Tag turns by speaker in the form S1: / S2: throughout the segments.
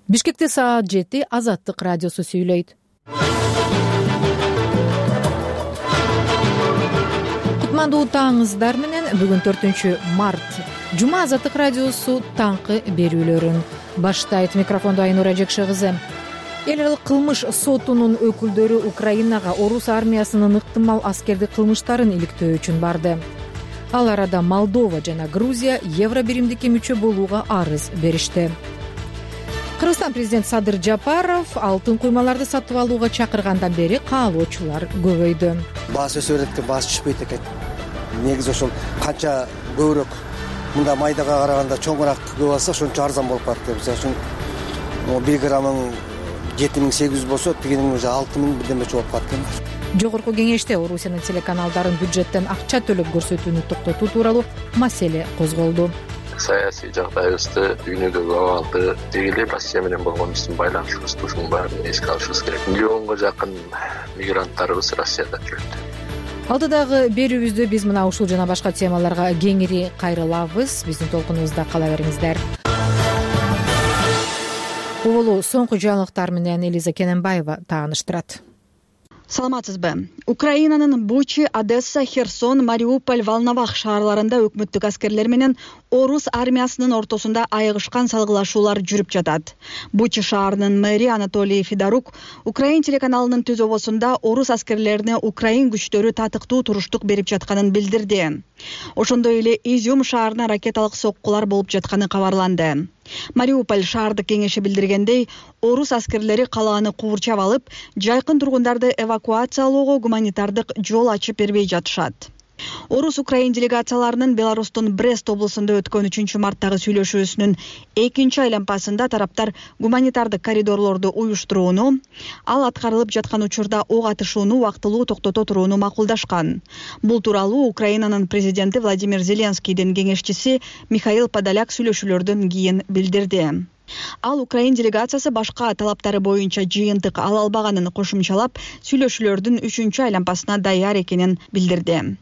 S1: Бишкекте саат 7 Азаттык радиосу сүйлөйт. Кутмандуу таңыңыздар менен бүгүн 4-март. Жума Азаттык радиосу таңкы берүүлөрүн баштайт. Микрофондо Айнура Жекше кызы. Эл аралык кылмыш сотунун өкүлдөрү Украинага орус армиясынын ыктымал аскердик кылмыштарын иликтөө үчүн барды. Ал арада Молдова жана Грузия евро биримдикке мүчө болууга арыз беришти. Кыргызстан президенти Садыр Жапаров алтын куймаларды сатып алууга чакыргандан бери каалоочулар көбөйдү.
S2: Баасы өсө берет экен, баасы түшпөйт экен. Негизи ошол канча көбүрөөк мында майдага караганда чоңураак көп алса ошончо арзан болуп калат деп. Мисалы үчүн 1 граммың 7800 болсо, тигинин 6000 бирдемече болуп калат экен.
S1: Жогорку кеңеште Орусиянын телеканалдарын бюджеттен акча төлөп көрсөтүүнү токтотуу тууралуу маселе козголду.
S3: Саясий жагдайыбызды, дүйнөдөгү абалды, деги эле Россия менен болгон биздин байланышыбызды ушунун баарын эске алышыбыз керек. Миллионго жакын мигранттарыбыз Россияда жүрөт.
S1: Алдыдагы берүүбүздө биз мына ушул жана башка темаларга кеңири кайрылабыз. Биздин толкунубузда кала бериңиздер. Улуу соңку жаңылыктар менен Элиза Кененбаева тааныштырат.
S4: Саламатсызбы? Украинанын Бучи, Одесса, Херсон, Мариуполь, Волновах шаарларында өкмөттүк аскерлер менен орус армиясынын ортосунда айыгышкан салгылашуулар жүрүп жатат. Бучи шаарынын мэри Анатолий Федорук Украин телеканалынын түзөбосунда орус аскерлерине Украин күчтөрү татыктуу туруштук берип жатканын билдирди. Ошондой эле Изюм шаарына ракеталык соккулар болуп жатканы кабарланды. Мариуполь шаардык кеңеши билдиргендей, орус аскерлери калааны куурчап алып, жайкын тургундарды эвакуациялоого гуманитардык жол ачып бербей жатышат. Орус-Украин делегацияларынын Беларустун Брест облусунда өткөн 3-марттагы сүйлөшүүсүнүн экинчи айлампасында тараптар гуманитардык коридорлорду уюштурууну, ал аткарылып жаткан учурда ок атышууну убактылуу токтото турууну макулдашкан. Бул тууралуу Украинанын президенти Владимир Зеленскийдин кеңешчиси Михаил Подоляк сүйлөшүүлөрдөн кийин билдирди. Ал Украин делегациясы башка талаптары боюнча жыйынтык ала албаганын кошумчалап, сүйлөшүүлөрдүн 3-чү айлампасына даяр экенин билдирди.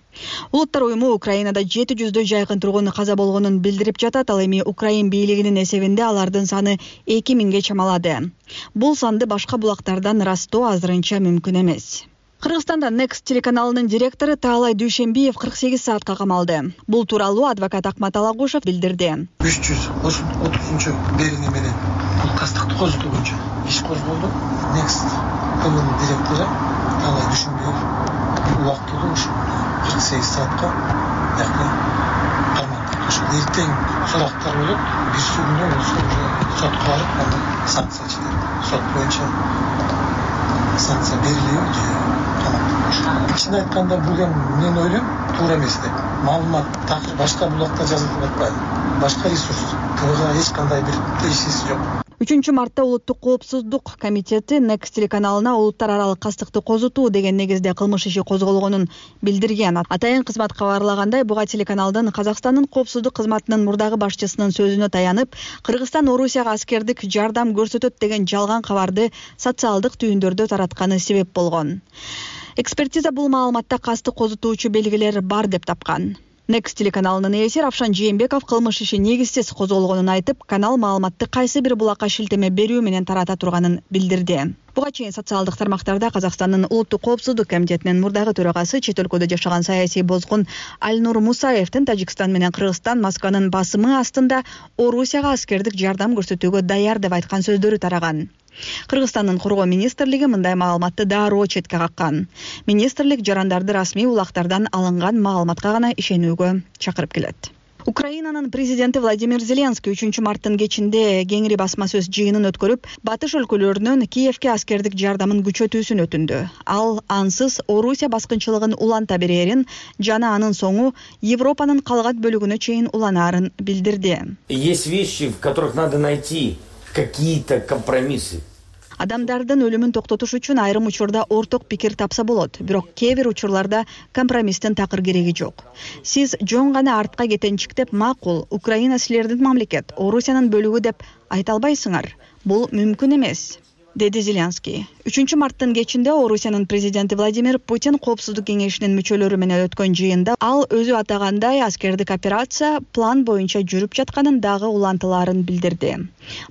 S4: Улуттар уюму Украинада 700 жайкын тургун каза болгонун билдирип жатат, ал эми Украин бийлигинин эсебинде алардын саны 2000ге чамалады. Бул санды башка булактардан ырастоо азырынча мүмкүн эмес. Кыргызстанда Next телеканалынын директору Таалай Дүйшенбиев 48 саатка камалды. Бул тууралуу адвокат Акмат Алагушев билдирди.
S5: 330 берүүнү менен бул тастыкты козутуу боюнча иш козголду. Next каналынын директору Таалай Дүйшенбиев убактылуу 48 саатка кармалды. Эртең сурактар болот, бир күндөн сотко барып, андан санкция чыгат. Сот боюнча санкция берилиби же чын айтканда бул мен ойлойм туура эмес деп. Маалымат такыр башка булакта жазылып атпайбы? Башка ресурс. Буга эч кандай бир тиешеси жок.
S4: 3-мартта Улуттук коопсуздук комитети Next телеканалына улуттар аралык кастыкты козутуу деген негизде кылмыш иши козголгонун билдирген. Атайын кызмат кабарлагандай, буга телеканалдын Казакстандын коопсуздук кызматынын мурдагы башчысынын сөзүнө таянып, Кыргызстан Орусияга аскердик жардам көрсөтөт деген жалган кабарды социалдык түйүндөрдө таратканы себеп болгон. Экспертиза бул маалыматта кастык козутуучу белгилер бар деп тапкан. Next телеканалынын ээси Равшан Жээнбеков кылмыш иши негизсиз козголгонун айтып, канал маалыматты кайсы бир булакка шилтеме берүү менен тарата турганын билдирди. Буга чейин социалдык тармактарда Казакстандын Улуттук коопсуздук комитетинин мурдагы төрагасы чет өлкөдө жашаган саясий бозгун Альнур Мусаевдин Тажикстан менен Кыргызстан Москванын басымы астында Орусияга аскердик жардам көрсөтүүгө даяр деп айткан сөздөрү тараган. Кыргызстандын коргоо министрлиги мындай маалыматты дароо четке каккан. Министрлик жарандарды расмий улактардан алынган маалыматка гана ишенүүгө чакырып келет. Украинанын президенти Владимир Зеленский 3-марттын кечинде кеңири басма сөз жыйынын өткөрүп, батыш өлкөлөрүнөн Киевке аскердик жардамын күчөтүүсүн өтүндү. Ал ансыз Орусия баскынчылыгын уланта берерин жана анын соңу Европанын калган бөлүгүнө чейин уланаарын билдирди.
S6: Есть вещи, в которых надо найти какие-то компромиссы.
S4: Адамдардын өлүмүн токтотуш үчүн айрым учурда орток пикир тапса болот, бирок кээ бир учурларда компромисстин такыр кереги жок. Сиз жөн гана артка кетенчиктеп, макул, Украина силердин мамлекет, Орусиянын бөлүгү деп айта албайсыңар. Бул мүмкүн эмес. деди Зеленский. 3-марттын кечинде Орусиянын президенти Владимир Путин Коопсуздук кеңешинин мүчөлөрү менен өткөн жыйында ал өзү атагандай аскердик операция план боюнча жүрүп жатканын дагы улантылаарын билдирди.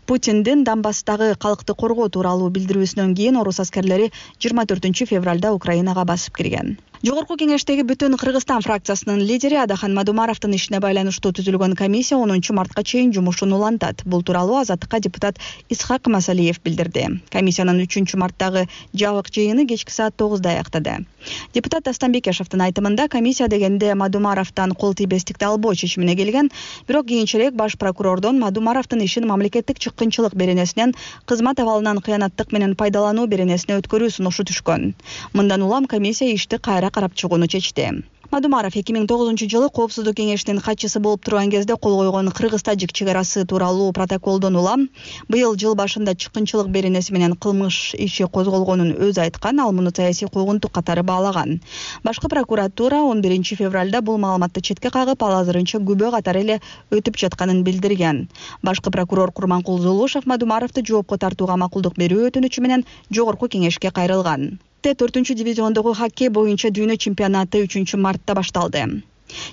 S4: Путиндин Донбасстагы калкты коргоо тууралуу билдирүүсүнөн кийин орус аскерлери 24-февралда Украинага басып кирген. Жогорку кеңештеги Бүтүн Кыргызстан фракциясынын лидери Адахан Мадумаровдун ишине байланыштуу түзүлгөн комиссия 10-мартка чейин жумушун улантат. Бул тууралуу Азаттыкка депутат Исхак Масалиев билдирди. Комиссиянын 3-марттагы жабык жыйыны кечки саат 9-да аяктады. Депутат Дастан Бекешевдин айтымында комиссия дегенде Мадумаровдон кол тийбестикти албоо чечимине келген, бирок кийинчерээк баш прокурордон Мадумаровдун ишин мамлекеттик чыккынчылык беренесинен кызмат абалынан кыянаттык менен пайдалануу беренесине өткөрүү сунушу түшкөн. Мындан улам комиссия ишти кайра карап чыгууну чечти. Мадумаров 2009-жылы Коопсуздук кеңешинин катчысы болуп турган кезде кол койгон Кыргыз-Тажик чек арасы тууралуу протоколдон улам быйыл жыл башында чыккынчылык беренеси менен кылмыш иши козголгонун өзү айткан, ал муну саясий куугунтук катары баалаган. Башкы прокуратура 11-февралда бул маалыматты четке кагып, ал азырынча күбө катары эле өтүп жатканын билдирген. Башкы прокурор Курманкул Зулушев Мадумаровду жоопко тартууга макулдук берүү өтүнүчү менен жогорку кеңешке кайрылган. 4-дивизиондогу хоккей боюнча дүйнө чемпионаты 3-мартта башталды.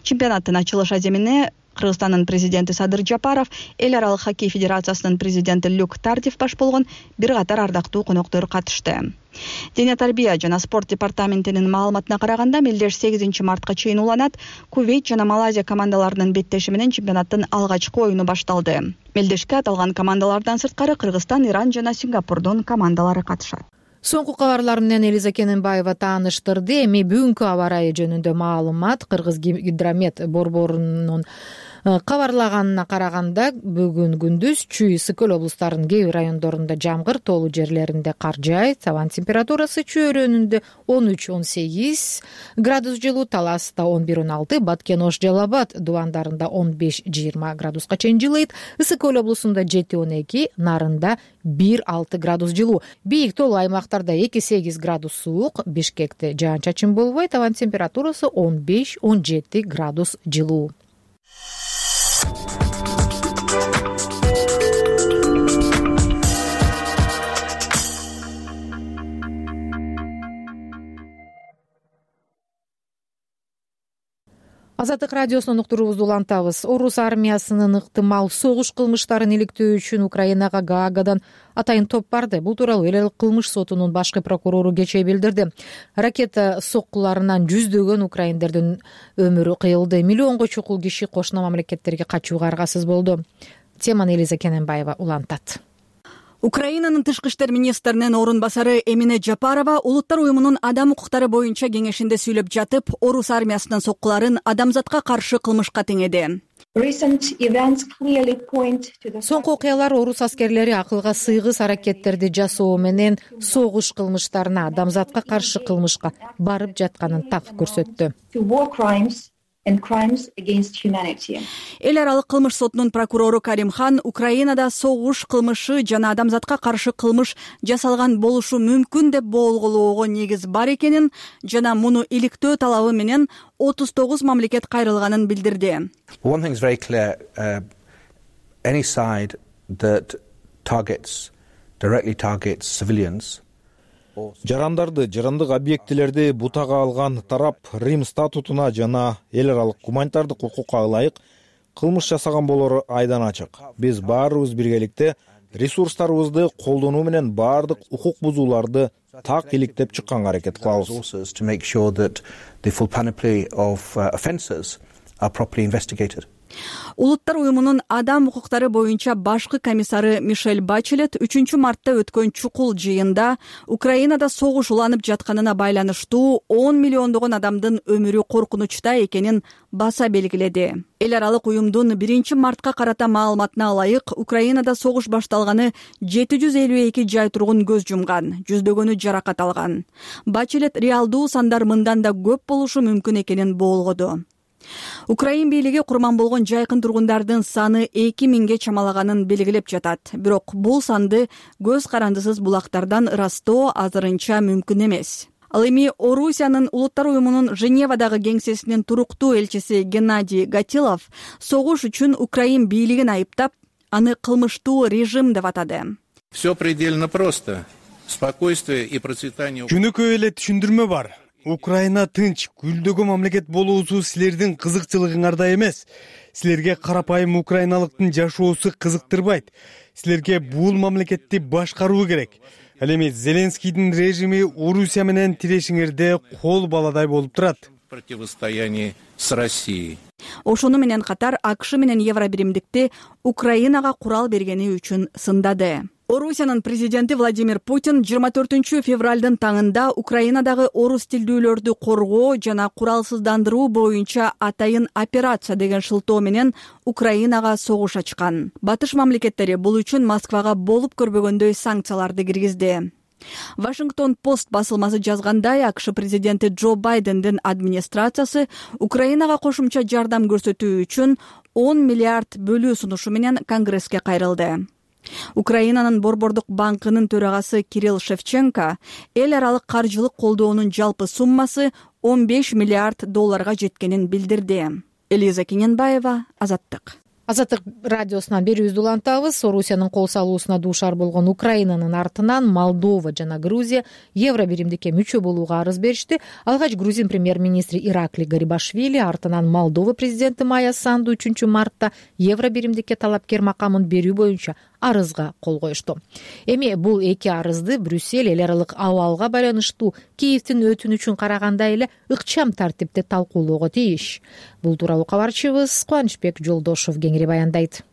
S4: Чемпионаттын ачылыш аземине Кыргызстандын президенти Садыр Жапаров, Эл аралык хоккей федерациясынын президенти Люк Тардив баш болгон бир катар ардактуу коноктор катышты. Дене тарбия жана спорт департаментинин маалыматына караганда, мелдеш 8-мартка чейин уланат. Кувейт жана Малайзия командаларынын беттеши менен чемпионаттын алгачкы оюну башталды. Мелдешке аталган командалардан сырткары Кыргызстан, Иран жана Сингапурдун командалары катышат.
S1: Соңку кабарлар менен Элиза Кененбаева тааныштырды. Эми бүгүнкү аба ырайы жөнүндө маалымат Кыргыз гидромет борборунун кабарлаганына караганда, бүгүн күндүз Чүй, Ысык-Көл облустарынын кээ бир райондорунда жамгыр, тоолуу жерлеринде кар жаайт. Абан температурасы Чүй өрөөнүндө 13-18 градус жылуу, Таласта 11-16, Баткен-Ош, Жалал Абад дубандарында 15-20 градуска чейин жылыйт. Ысык-Көл облусунда 7-12, Нарында 1-6 градус жылуу. Бийик тоолуу аймактарда 2-8 градус суук, Бишкекте жаан-чачын болбойт. Абан температурасы 15-17 градус жылуу. Азаттык радиосунун уктуруубузду улантабыз. Орус армиясынын ыктымал согуш кылмыштарын иликтөө үчүн Украинага Гаагадан атайын топ барды. Бул тууралуу эл аралык кылмыш сотунун башкы прокурору кечээ билдирди. Ракета соккуларынан жүздөгөн украиндердин өмүрү кыйылды. Миллионго чукул киши кошуна мамлекеттерге качууга аргасыз болду. Теманы Элиза Кененбаева улантат.
S4: Украинанын тышкы иштер министринин орун басары Эмине Жапарова Улуттар уюмунун адам укуктары боюнча кеңешинде сүйлөп жатып, орус армиясынын соккуларын адамзатка каршы кылмышка теңеди.
S1: Соңку окуялар орус аскерлери акылга сыйгыс аракеттерди жасоо менен согуш кылмыштарына, адамзатка каршы кылмышка барып жатканын так көрсөттү.
S4: Эл аралык кылмыш сотунун прокурору Каримхан Украинада согуш кылмышы жана адамзатка каршы кылмыш жасалган болушу мүмкүн деп болгоого негиз бар экенин жана муну иликтөө талабы менен 39 мамлекет кайрылганын билдирди.
S7: One thing is very clear, any side that directly targets civilians.
S8: Жарандарды, жарандык объектилерди бутага алган тарап Рим статутуна жана эл аралык гуманитардык укукка ылайык кылмыш жасаган болору айдан ачык. Биз баарыбыз биргеликте ресурстарыбызды колдонуу менен баардык укук бузууларды так иликтеп чыкканга аракет кылабыз.
S7: To make sure that the full panoply of offences are properly investigated.
S4: Улуттар уюмунун адам укуктары боюнча башкы комиссары Мишель Бачелет 3-мартта өткөн чукул жыйында Украинада согуш уланып жатканына байланыштуу 10 миллиондогон адамдын өмүрү коркунучта экенин баса белгиледи. Эл аралык уюмдун 1-мартка карата маалыматына ылайык, Украинада согуш башталганы 752 жай тургун көз жумган, жүздөгөнү жаракат алган. Бачелет реалдуу сандар мындан да көп болушу мүмкүн экенин болгоду. Украин бийлиги курман болгон жайкын тургундардын саны 2000ге чамалаганын белгилеп жатат. Бирок бул санды көз карандысыз булактардан ырастоо азырынча мүмкүн эмес. Ал эми Орусиянын Улуттар уюмунун Женевадагы кеңсесинин туруктуу элчиси Геннадий Гатилов согуш үчүн Украин бийлигин айыптап, аны кылмыштуу режим деп атады.
S9: Все предельно просто. Спокойствие и процветание.
S10: Жөнөкөй эле түшүндүрмө бар. Украина тынч, гүлдөгөн мамлекет болуусу силердин кызыкчылыгыңарда эмес. Силерге карапайым украиналыктын жашоосу кызыктырбайт. Силерге бул мамлекетти башкаруу керек. Ал эми Зеленскийдин режими Орусия менен тирешиңерде кол баладай болуп турат.
S9: Противостояние с Россией.
S4: Ошону менен катар АКШ менен Евробиримдикти Украинага курал бергени үчүн сындады. Орусиянын президенти Владимир Путин 24 февралдын таңында Украинадагы орус тилдүүлөрдү коргоо жана куралсыздандыруу боюнча атайын операция деген шылтоо менен Украинага согуш ачкан. Батыш мамлекеттери бул үчүн Москвага болуп көрбөгөндөй санкцияларды киргизди. Вашингтон Пост басылмасы жазгандай, АКШ президенти Джо Байдендин администрациясы Украинага кошумча жардам көрсөтүү үчүн 10 миллиард бөлүү сунушу менен Конгресске кайрылды. Украинанын Борбордук банкынын төрагасы Кирилл Шевченко эл аралык каржылык колдоонун жалпы суммасы 15 миллиард долларга жеткенин билдирди. Элиза Кененбаева, Азаттык.
S1: Азаттык радиосунан берүүбүздү улантабыз. Орусиянын кол салуусуна дуушар болгон Украинанын артынан Молдова жана Грузия Евробиримдикке мүчө болууга арыз беришти. Алгач Грузин премьер-министри Ираклий Гарибашвили, артынан Молдова президенти Майя Санду 3 мартта Евробиримдикке талапкер макамын берүү боюнча арызга кол коюшту. Эми бул эки арызды Брюссель эл аралык абалга байланыштуу Киевдин өтүнүчүн караганда эле ыкчам тартипте талкуулоого тийиш. Бул тууралуу кабарчыбыз Кубанычбек Жолдошов кеңири баяндайт.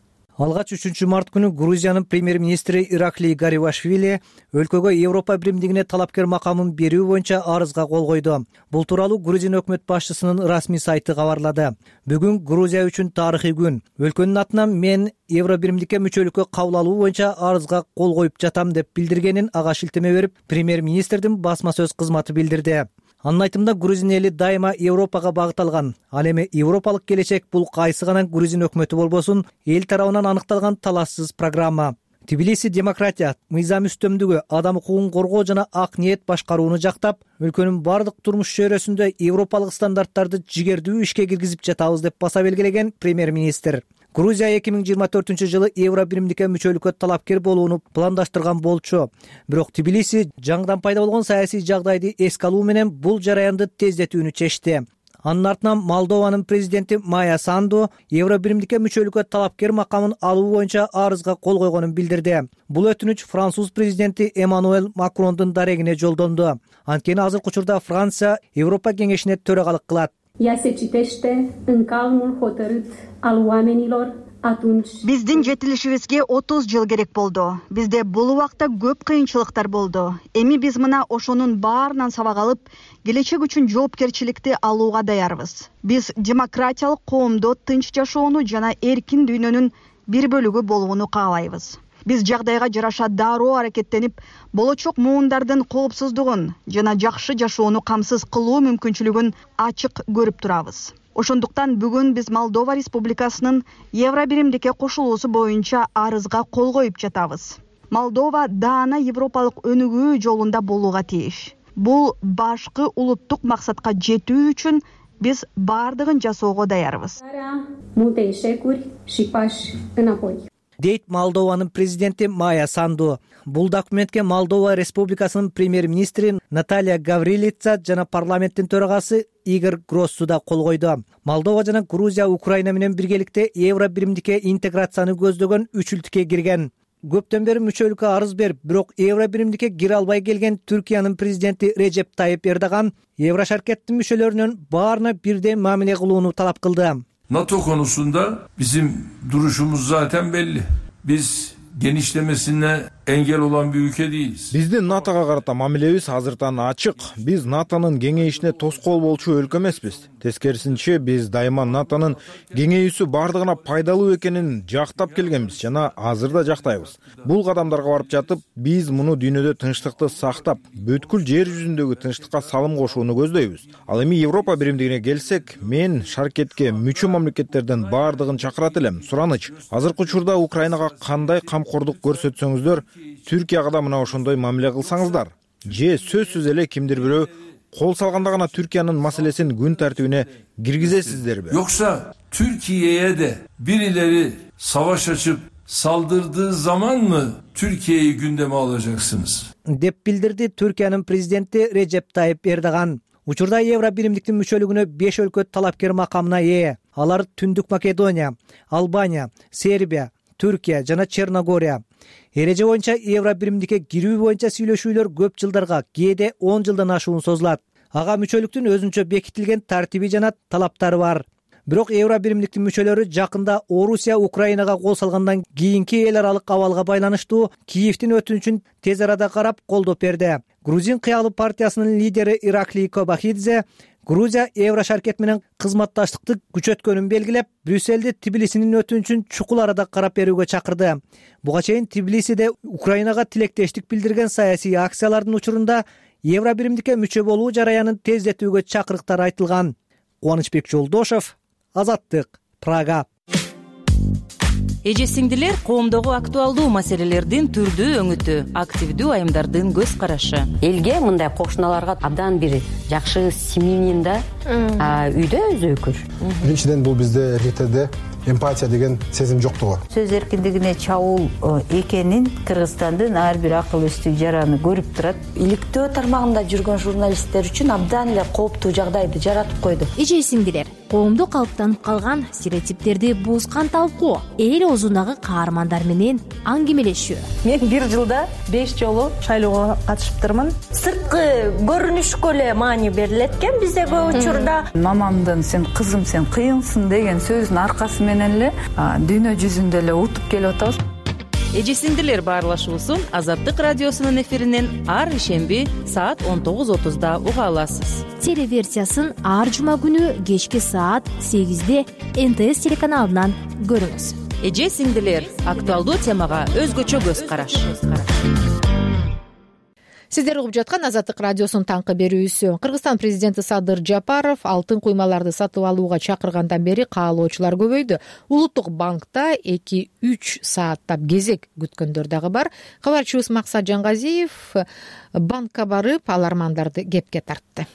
S11: Алгач 3 март күнү Грузиянын премьер-министри Ираклий Гарибашвили өлкөгө Европа биримдигине талапкер макамын берүү боюнча арызга кол койду. Бул тууралуу Грузин өкмөт башчысынын расмий сайты кабарлады. Бүгүн Грузия үчүн тарыхый күн. Өлкөнүн атынан мен Евробиримдикке мүчөлүккө кабыл алуу боюнча арызга кол коюп жатам деп билдиргенин ага шилтеме берип, премьер-министрдин басма сөз кызматы билдирди. Анын айтымында грузин эли дайыма Европага багыт алган. Ал эми европалык келечек бул кайсы гана грузин өкмөтү болбосун, эл тарабынан аныкталган талассыз программа. Тбилиси демократия, мыйзам үстөмдүгү, адам укугун коргоо жана ак ниет башкарууну жактап, өлкөнүн бардык турмуш чөйрөсүндө европалык стандарттарды жигердүү ишке киргизип жатабыз деп баса белгилеген премьер-министр. Грузия 2024-жылы Евробиримдикке мүчөлүккө талапкер болууну пландаштырган болчу. Бирок Тбилиси жаңыдан пайда болгон саясий жагдайды эске алуу менен бул жараянды тездетүүнү чечти. Анын артынан Молдованын президенти Майя Санду Евробиримдикке мүчөлүккө талапкер макамын алуу боюнча арызга кол койгонун билдирди. Бул өтүнүч Француз президенти Эммануэль Макрондун дарегине жолдонду. Анткени азыркы учурда Франция Европа кеңешине төрагалык кылат.
S12: Ea se citește în calmul hotărât al oamenilor atunci.
S4: Биздин жетилишибизге 30 жыл керек болду. Бизде бул убакта көп кыйынчылыктар болду. Эми биз мына ошонун баарынан сабак алып, келечек үчүн жоопкерчиликти алууга даярбыз. Биз демократиялык коомдо тынч жашоону жана эркин дүйнөнүн бир бөлүгү болууну каалайбыз. Биз жагдайга жараша дароо аракеттенип, болочок муундардын коопсуздугун жана жакшы жашоону камсыз кылуу мүмкүнчүлүгүн ачык көрүп турабыз. Ошондуктан бүгүн биз Молдова Республикасынын Евробиримдикке кошулуусу боюнча арызга кол коюп жатабыз. Молдова даана европалык өнүгүү жолунда болууга тийиш. Бул башкы улуттук максатка жетүү үчүн биз бардыгын жасоого даярбыз.
S11: Дейт Молдованын президенти Майя Санду. Бул документке Молдова Республикасынын премьер-министри Наталья Гаврилица жана парламенттин төрагасы Игорь Гроссу да кол койду. Молдова жана Грузия Украина менен биргеликте Евробиримдикке интеграцияны көздөгөн үчүлтүккө кирген. Көптөн бери мүчөлүккө арыз берип, бирок Евробиримдикке кире албай келген Түркиянын президенти Режеп Тайып Эрдоган Еврошаркеттин мүчөлөрүнүн баарына бирдей мамиле кылууну талап кылды.
S13: NATO konusunda bizim duruşumuz zaten belli. Biz genişlemesine engel olan bir ülke değiliz.
S8: Биздин НАТОга карата мамилебиз азыртан ачык. Биз НАТОнун кеңейишине тоскоол болчу өлкө эмеспиз. Тескерисинче, биз дайыма НАТОнун кеңейүүсү бардыгына пайдалуу экенин жактап келгенбиз жана азыр да жактайбыз. Бул кадамдарга барып жатып, биз муну дүйнөдө тынчтыкты сактап, бүткүл жер жүзүндөгү тынчтыкка салым кошууну көздөйбүз. Ал эми Европа биримдигине келсек, мен шаркетке мүчө мамлекеттердин бардыгын чакырат элем. Сураныч, азыркы учурда Украинага кандай камкордук көрсөтсөңүздөр, Түркияга да мына ошондой мамиле кылсаңыздар. Же сөзсүз эле кимдир бирөө кол салганда гана Türkiye'nin маселесин gün tertibine girgizesizler mi?
S13: Yoksa Türkiye'ye de birileri savaş açıp saldırdığı zaman mı Türkiye'yi gündeme alacaksınız?
S11: деп билдирди Түркиянын президенти Режеп Тайип Эрдоган. Учурда Евро биримдиктин мүчөлүгүнө 5 өлкө талапкер макамына ээ. Алар Түндүк Македония, Албания, Сербия, Түркия жана Черногория. Эреже боюнча Евро биримдикке кирүү боюнча сүйлөшүүлөр көп жылдарга, кээде 10 жылдан ашуун созулат. Ага мүчөлүктүн өзүнчө бекитилген тартиби жана талаптары бар. Бирок Евро биримдиктин мүчөлөрү жакында Орусия Украинага кол салгандан кийинки эл аралык абалга байланыштуу Киевдин өтүнүчүн тез арада карап колдоп берди. Грузин кыялы партиясынын лидери Ираклий Кобахидзе Грузия Евро шаркет менен кызматташтыкты күчөткөнүн белгилеп, Брюссельди Тбилисинин өтүнүчүн чукул арада карап берүүгө чакырды. Буга чейин Тбилисиде Украинага тилектештик билдирген саясий акциялардын учурунда Евро биримдикке мүчө болуу жараянын тездетүүгө чакырыктар айтылган. Кубанычбек Жолдошев, Азаттык, Прага.
S14: Эже сиңдилер, коомдогу актуалдуу маселелердин түрдүү өңүтү, активдүү айымдардын көз карашы.
S15: Элге мындай кошуналарга абдан бир жакшы семьянин да үйдө өзөкүр.
S16: Биринчиден бул бизде эркектерде эмпатия деген сезим жоктугу.
S17: Сөз эркиндигине чабуул экенин Кыргызстандын ар бир акыл эстүү жараны көрүп турат.
S18: Иликтөө тармагында жүргөн журналисттер үчүн абдан эле кооптуу жагдайды жаратып койду.
S19: Эже сиңдилер, коомдо калыптанып калган стереотиптерди бузган талкуу, эл оозундагы каармандар менен аңгемелешүү.
S18: Мен бир жылда 5 жолу шайлоого катышыптырмын. Сырткы көрүнүшкө эле маани берилет экен бизде көп учурда.
S17: Мамамдын сен кызым сен кыйынсың деген сөзүнүн аркасы менен эле дүйнө жүзүндө эле утуп келип атабыз.
S14: Эже сиңдилер баарлашуусун Азаттык радиосунун эфиринен ар ишемби саат 19:30 уга аласыз.
S19: Телеверсиясын ар жума күнү кечки саат 8-де НТС телеканалынан көрүңүз.
S14: Эже сиңдилер, актуалдуу темага өзгөчө көз караш.
S1: Сиздер угуп жаткан Азаттык радиосунун таңкы берүүсү. Кыргызстан президенти Садыр Жапаров алтын куймаларды сатып алууга чакыргандан бери каалоочулар көбөйдү. Улуттук банкта 2-3 сааттап кезек күткөндөр дагы бар. Кабарчыбыз Максат Жангазиев банкка барып алармандарды кепке тартты.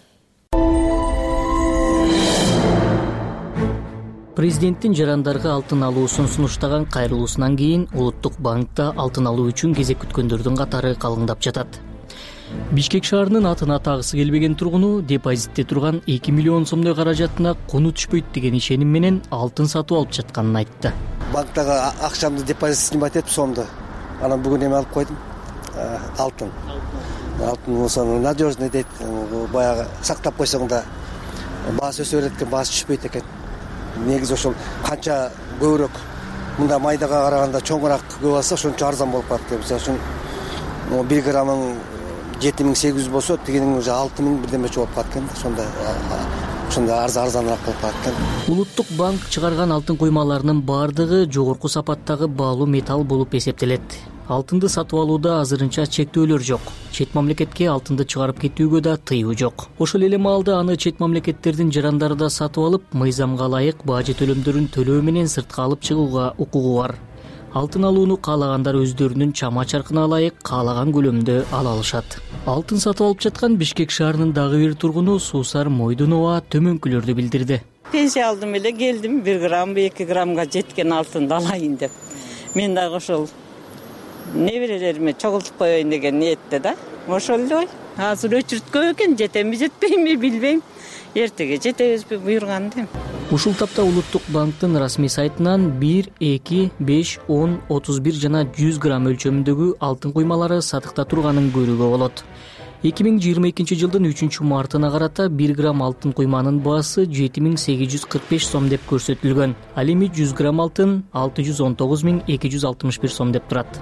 S20: Президенттин жарандарга алтын алуусун сунуштаган кайрылуусунан кийин Улуттук банкта алтын алуу үчүн кезек күткөндөрдүн катары калыңдап жатат. Бишкек шаарынын атына тагысы келбеген тургуну депозитте турган 2 миллион сомдой каражатына куну түшпөйт деген ишеним менен алтын сатып алып жатканын айтты.
S2: Банктагы акчамды депозит снимать этип сомду. Анан бүгүн эме алып койдум. Алтын. Алтын болсо надежный дейт. Баягы сактап койсоң да баасы өсө берет экен, баасы түшпөйт экен. Негизи ошол канча көбүрөөк мында майдага караганда чоңураак көп алса ошончо арзан болуп калат деп. Мисалы үчүн 1 граммың 7800 болсо, тигинин уже 6000 бирдемече болуп калат экен. Ошондо арзаныраак болуп калат экен.
S20: Улуттук банк чыгарган алтын куймаларынын баардыгы жогорку сапаттагы баалуу металл болуп эсептелет. Алтынды сатып алууда азырынча чектөөлөр жок. Чет мамлекетке алтынды чыгарып кетүүгө да тыюу жок. Ошол эле маалда аны чет мамлекеттердин жарандары да сатып алып, мыйзамга ылайык бажы төлөмдөрүн төлөө менен сыртка алып чыгууга укугу бар. Алтын алууну каалагандар өздөрүнүн чама чаркына ылайык каалаган көлөмдө ала алышат. Алтын сатып алып жаткан Бишкек шаарынын дагы бир тургуну Суусар Мойдунова төмөнкүлөрдү билдирди.
S21: Пенсия алдым эле келдим, 1 грамм 2 граммга жеткен алтынды алайын деп. Мен дагы ошол неберелериме чогултуп коеюн деген ниетте да. Ошол эле. Азыр өчүрткө экен, жетемби жетпейби билбейм. Эртеге жетебизби буйрганда.
S20: Ушул тапта Улуттук банктын расмий сайтынан 1, 2, 5, 10, 31 жана 100 грамм өлчөмүндөгү алтын куймалары сатыкта турганын көрүүгө болот. 2022 жылдын 3 мартына карата 1 грамм алтын куйманын баасы 7845 сом деп көрсөтүлгөн. Ал эми 100 грамм алтын 619261 сом деп турат.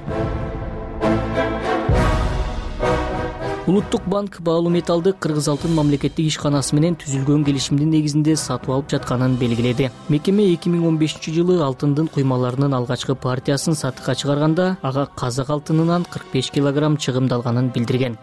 S20: Улуттук банк баалуу металлды Кыргыз алтын мамлекеттик ишканасы менен түзүлгөн келишимдин негизинде сатып алып жатканын белгиледи. Мекеме 2015 жылы алтындын куймаларынын алгачкы партиясын сатыкка чыгарганда ага казак алтынынан 45 килограмм чыгымдалганын билдирген.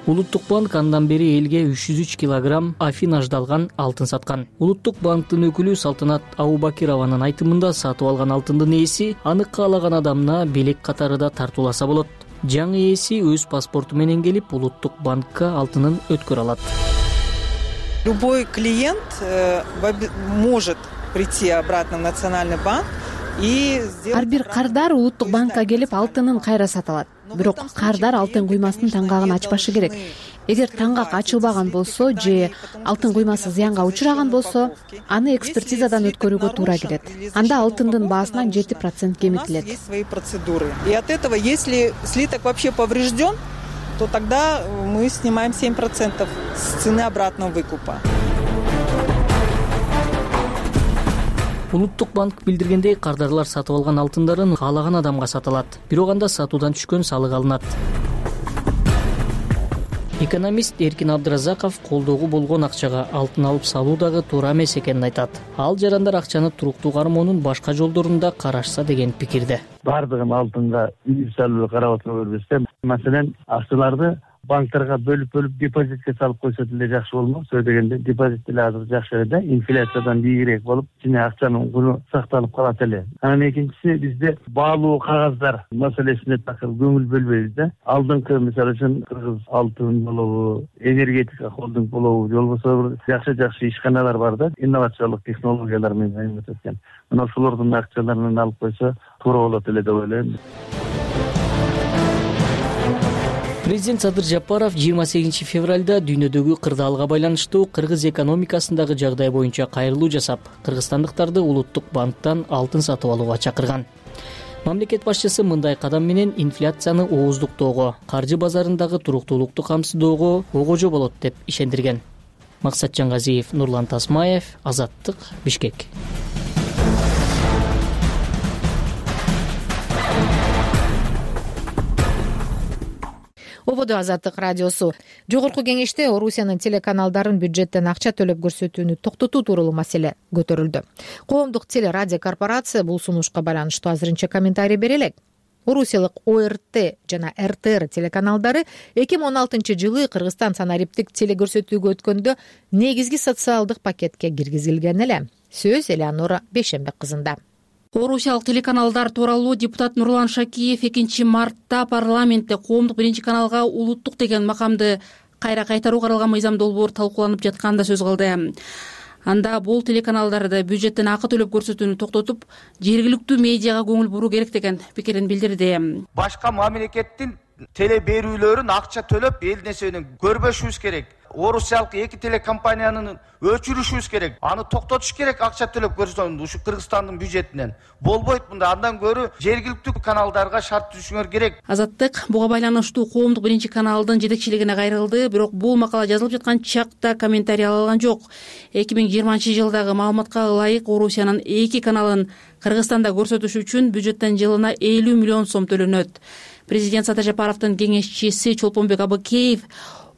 S20: Улуттук банк андан бери элге 303 килограмм афинаждалган алтын саткан. Улуттук банктын өкүлү Салтанат Абубакированын айтымында сатып алган алтындын ээси аны каалаган адамына белек катарында тартууласа болот. Жаңы ээси өз паспорту менен келип Улуттук банкка алтынын өткөрө алат.
S22: Любой клиент может прийти обратно в Национальный банк
S3: ар бир кардар улуттук банкка келип алтынын кайра сатып алат. Бирок кардар алтын куймасынын таңгагын ачпашы керек. Эгер таңгак ачылбаган болсо же алтын куймасы зыянга учураган болсо, аны экспертизадан өткөрүүгө туура келет. Анда алтындын баасынан 7% кемитилет.
S22: И от этого, если слиток вообще поврежден, то тогда мы снимаем 7% с цены обратного выкупа.
S20: Улуттук банк билдиргендей, кардарлар сатып алган алтындарын каалаган адамга сатылат. Бирок анда сатуудан түшкөн салык алынат. Экономист Эркин Абдыразаков колдоого болгон акчага алтын алып салуу дагы туура эмес экенин айтат. Ал жарандар акчаны туруктуу кармоонун башка жолдорун да карашса деген пикирде.
S23: Бардыгын алтынга индивидуалдуу карап отура бербестен, маселен, акчаларды банктарга бөлүп депозитке салып койсо деле жакшы болмок. Сөз дегенде депозит деле азыр жакшы эле, инфляциядан бийигирээк болуп, жана акчанын куру сакталып калат эле. Анан экинчиси, бизде баалуу кагаздар маселесине такыр көңүл бөлбөйбүз да. Алдыңкы, мисалы үчүн, Кыргыз алтын болобу, энергетика холдинг болобу, же болбосо жакшы ишканалар бар да, инновациялык технологиялар менен айналып өткөн. Мына ошолордун акчаларын алып койсо туура болот эле деп ойлойм.
S20: Президент Садыр Жапаров 28 февралда дүйнөдөгү кырдаалга байланыштуу кыргыз экономикасындагы жагдай боюнча кайрылуу жасап, кыргызстандыктарды улуттук банктан алтын сатып алууга чакырган. Мамлекет башчысы мындай кадам менен инфляцияны ооздуктоого, каржы базарындагы туруктуулукту камсыздоого огожо болот деп ишендирген. Максатжан Газиев, Нурлан Тасмаев, Азаттык, Бишкек.
S1: Ободо Азаттык радиосу. Жогорку кеңеште Орусиянын телеканалдарын бюджеттен акча төлөп көрсөтүүнү токтотуу тууралуу маселе көтөрүлдү. Коомдук телерадиокорпорация бул сунушка байланыштуу азырынча комментарий бере элек. Орусиялык ОРТ жана РТР телеканалдары 2016-жылы Кыргызстан санариптик телекөрсөтүүгө өткөндө негизги социалдык пакетке киргизилген эле. Сөз Элеонора Бейшембек кызында.
S24: Орусиялык телеканалдар тууралуу депутат Нурлан Шакиев 2 мартта парламентте коомдук биринчи каналга улуттук деген макамды кайра кайтаруу каралган мыйзам долбоор талкууланып жатканда сөз кылды. Анда бул телеканалдарды бюджеттен акы төлөп көрсөтүүнү токтотуп, жергиликтүү медиага көңүл буруу керек деген пикирин билдирди.
S25: Башка мамлекеттин теле берүүлөрүн акча төлөп эл нерсени көрбөшүбүз керек. Орусиялык 2 телекомпаниянын өчүрүшүбүз керек. Аны токтотуш керек, акча төлөп көрсөтүн ушу Кыргызстандын бюджетинен. Болбойт мында, андан көрү жергиликтүү каналдарга шарт түзүшүңөр керек.
S24: Азаттык буга байланыштуу коомдук биринчи каналдын жетекчилигине кайрылды, бирок бул макала жазылып жаткан чакта комментарий ала алган жок. 2020-жылдагы маалыматка ылайык Орусиянын 2 каналын Кыргызстанда көрсөтүш үчүн бюджеттен жылына 50 миллион сом төлөнөт. Президент Садыр Жапаровдун кеңешчиси Чолпонбек Абыкеев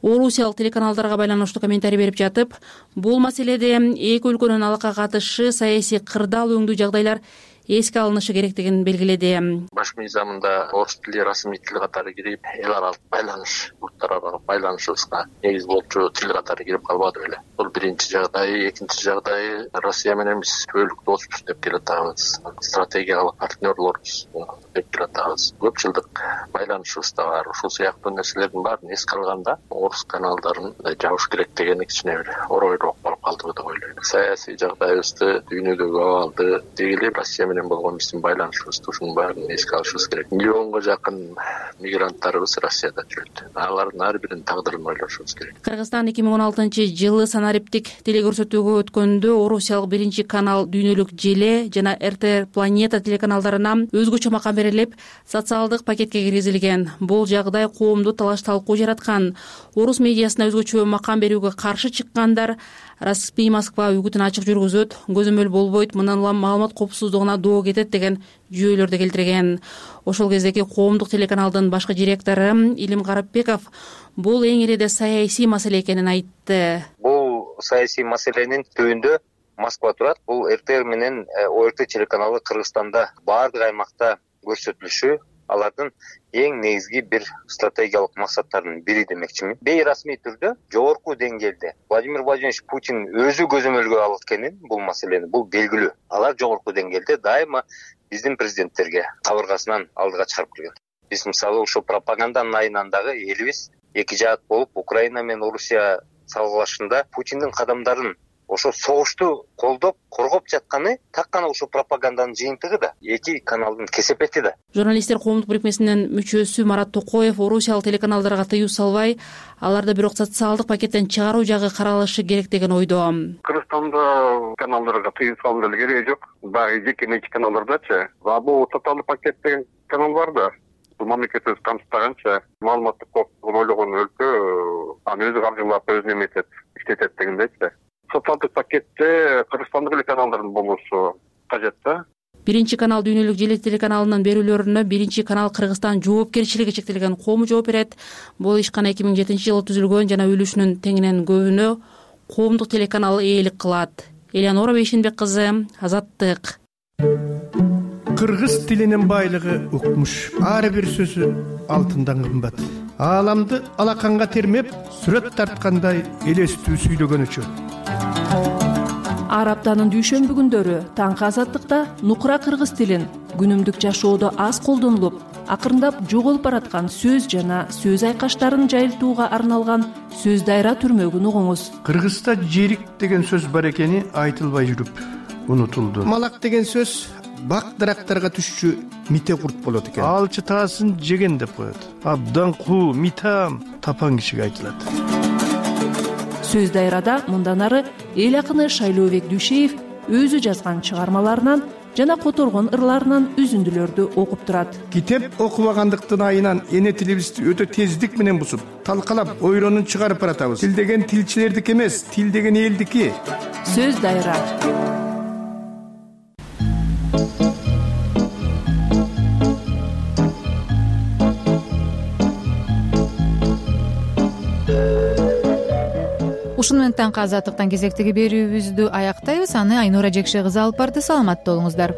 S24: Орусиялык телеканалдарга байланыштуу комментарий берип жатып, бул маселеде эки өлкөнүн алакка катышы, саясий кырдаал өңдүү жагдайлар эске алынышы керектигин белгиледи.
S26: Баш мыйзамында орус тили расмий тил катары кирип, эл аралык байланыш, улуттар аралык байланышыбызга негиз болчу тил катары кирип калбады беле. Бул биринчи жагдай. Экинчи жагдай, Россия менен биз түбөлүк доспуз деп келатабыз. Стратегиялык партнерлорбуз деп келатабыз. Көп жылдык байланышыбыз да бар. Ушул сыяктуу нерселердин баарын эске алганда, орус каналдарын жабыш керек дегени кичине бир оройлуу болуп калды деп ойлойм. Саясий жагдайыбызды, дүйнөдөгү абалды, дегеле Россия менен болгон биздин байланышыбызды ушунун баарын эске алышыбыз керек. Миллионго жакын мигранттарыбыз Россияда жүрөт. Алардын ар биринин тагдырын ойлошубуз керек.
S24: Кыргызстан 2016-жылы санариптик телекөрсөтүүгө өткөндө Орусиялык биринчи канал Дүйнөлүк Желе жана РТР Планета телеканалдарына өзгөчө макам берилип, социалдык пакетке киргизилген. Бул жагдай коомду талаш-талкуу жараткан. Орус медиасына өзгөчө макам берүүгө каршы чыккандар Распи Москва үгүтүн ачык жүргүзөт, көзөмөл болбойт, мындан улам маалымат коопсуздугуна доо кетет деген жүйөлөрдү келтирген. Ошол кездеги коомдук телеканалдын башкы директору Илим Карапбеков бул эң эле саясий маселе экенин айтты.
S27: Бул саясий маселенин түбүндө Москва турат. Бул РТР менен ОРТ телеканалы Кыргызстанда баардык аймакта көрсөтүлүшү алардын эң негизги бир стратегиялык максаттарынын бири демекчимин. Бейрасмий түрдө жогорку деңгээлде Владимир Владимирович Путин өзү көзөмөлгө алып эткенин бул маселени бул белгилүү. Алар жогорку деңгээлде дайыма биздин президенттерге кабыргасынан алдыга чыгарып келген. Биз мисалы ушул пропаганданын айынан дагы элибиз эки жаат болуп Украина менен Орусия салгылашында Путиндин кадамдарын ошо согушту колдоп коргоп жатканы так гана ушул пропаганданын жыйынтыгы да, эки каналдын кесепети да.
S24: Журналисттер коомдук бирикмесинин мүчөсү Марат Токоев орусиялык телеканалдарга тыюу салбай, аларды бирок социалдык пакеттен чыгаруу жагы каралышы керек деген ойдо.
S4: Кыргызстанда каналдарга тыюу салуу деле кереги жок. Баягы жекеменчик каналдардачы. Бул социалдык пакет деген канал бар да. Бул мамлекет өзү камсыздаганча маалыматтык коопсуздугун ойлогон өлкө аны өзү каржылап өзүнө эметет, иштетет дегендейчи. Социалдык пакетте Кыргызстандык эле каналдардын болушу кажет да.
S24: Биринчи канал Дүйнөлүк желе телеканалынын берүүлөрүнө Биринчи канал Кыргызстан жоопкерчилиги чектелген коому жооп берет. Бул ишкана 2007-жылы түзүлгөн жана үлүшүнүн теңинен көбүнө коомдук телеканал ээлик кылат. Элеонора Бейшенбек кызы, Азаттык.
S5: Кыргыз тилинин байлыгы укмуш. Ар бир сөзү алтындан кымбат. Ааламды алаканга термеп, сүрөт тарткандай элестүү сүйлөгөнүчө.
S6: Ар аптанын дүйшөмбү күндөрү таңкы Азаттыкта нукура кыргыз тилин күнүмдүк жашоодо аз колдонулуп, акырындап жоголуп бараткан сөз жана сөз айкаштарын жайылтууга арналган сөз дайра түрмөгүн угуңуз.
S5: Кыргызда жерик деген сөз бар экени айтылбай жүрүп унутулду. Малак деген сөз бак дарактарга түшчү мите курт болот экен. Алчы таасын жеген деп коет. Абдан куу, митам тапан кишиге айтылат.
S6: Сөз дайрада мындан ары эл акыны Шайлообек Дүйшеев өзү жазган чыгармаларынан жана которгон ырларынан үзүндүлөрдү окуп турат.
S5: Китеп окубагандыктын айынан эне тилибизди өтө тездик менен бузуп, талкалап, ойронун чыгарып баратабыз. Тил деген тилчилердики эмес, тил деген элдики.
S6: Сөз дайра.
S1: Ушуну менен таңкы Азаттыктан кезектеги берүүбүздү аяктайбыз. Аны Айнура Жекше кызы алып барды. Саламатта болуңуздар.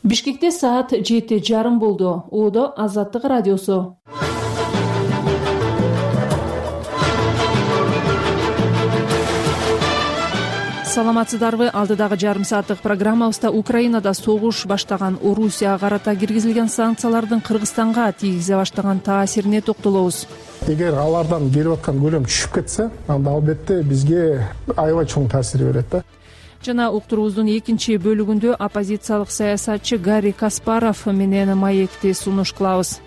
S6: Бишкекте саат 7:30 болду. Оодо Азаттык радиосу. Саламатсыздарбы? Алдыдагы жарым сааттык программабызда Украинада согуш баштаган Орусияга карата киргизилген санкциялардын Кыргызстанга тийгизе баштаган таасирине токтолобуз.
S16: Эгер алардан келип аткан көлөм түшүп кетсе, анда албетте бизге аябай чоң таасир берет да.
S6: Жана уктуруубуздун экинчи бөлүгүндө оппозициялык саясатчы Гарри Каспаров менен маекти сунуш кылабыз.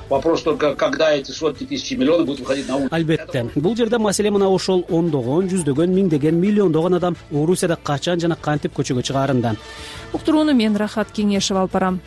S7: Вопрос только, когда эти сотни тысяч миллионов будут выходить на улицу.
S9: Албетте. Бул жерде маселе мына ошол ондогон, жүздөгөн, миңдеген, миллиондогон адам Орусияда качан жана кантип көчөгө чыгаарында.
S6: Уктурууну мен Рахат Кеңешев алып барам.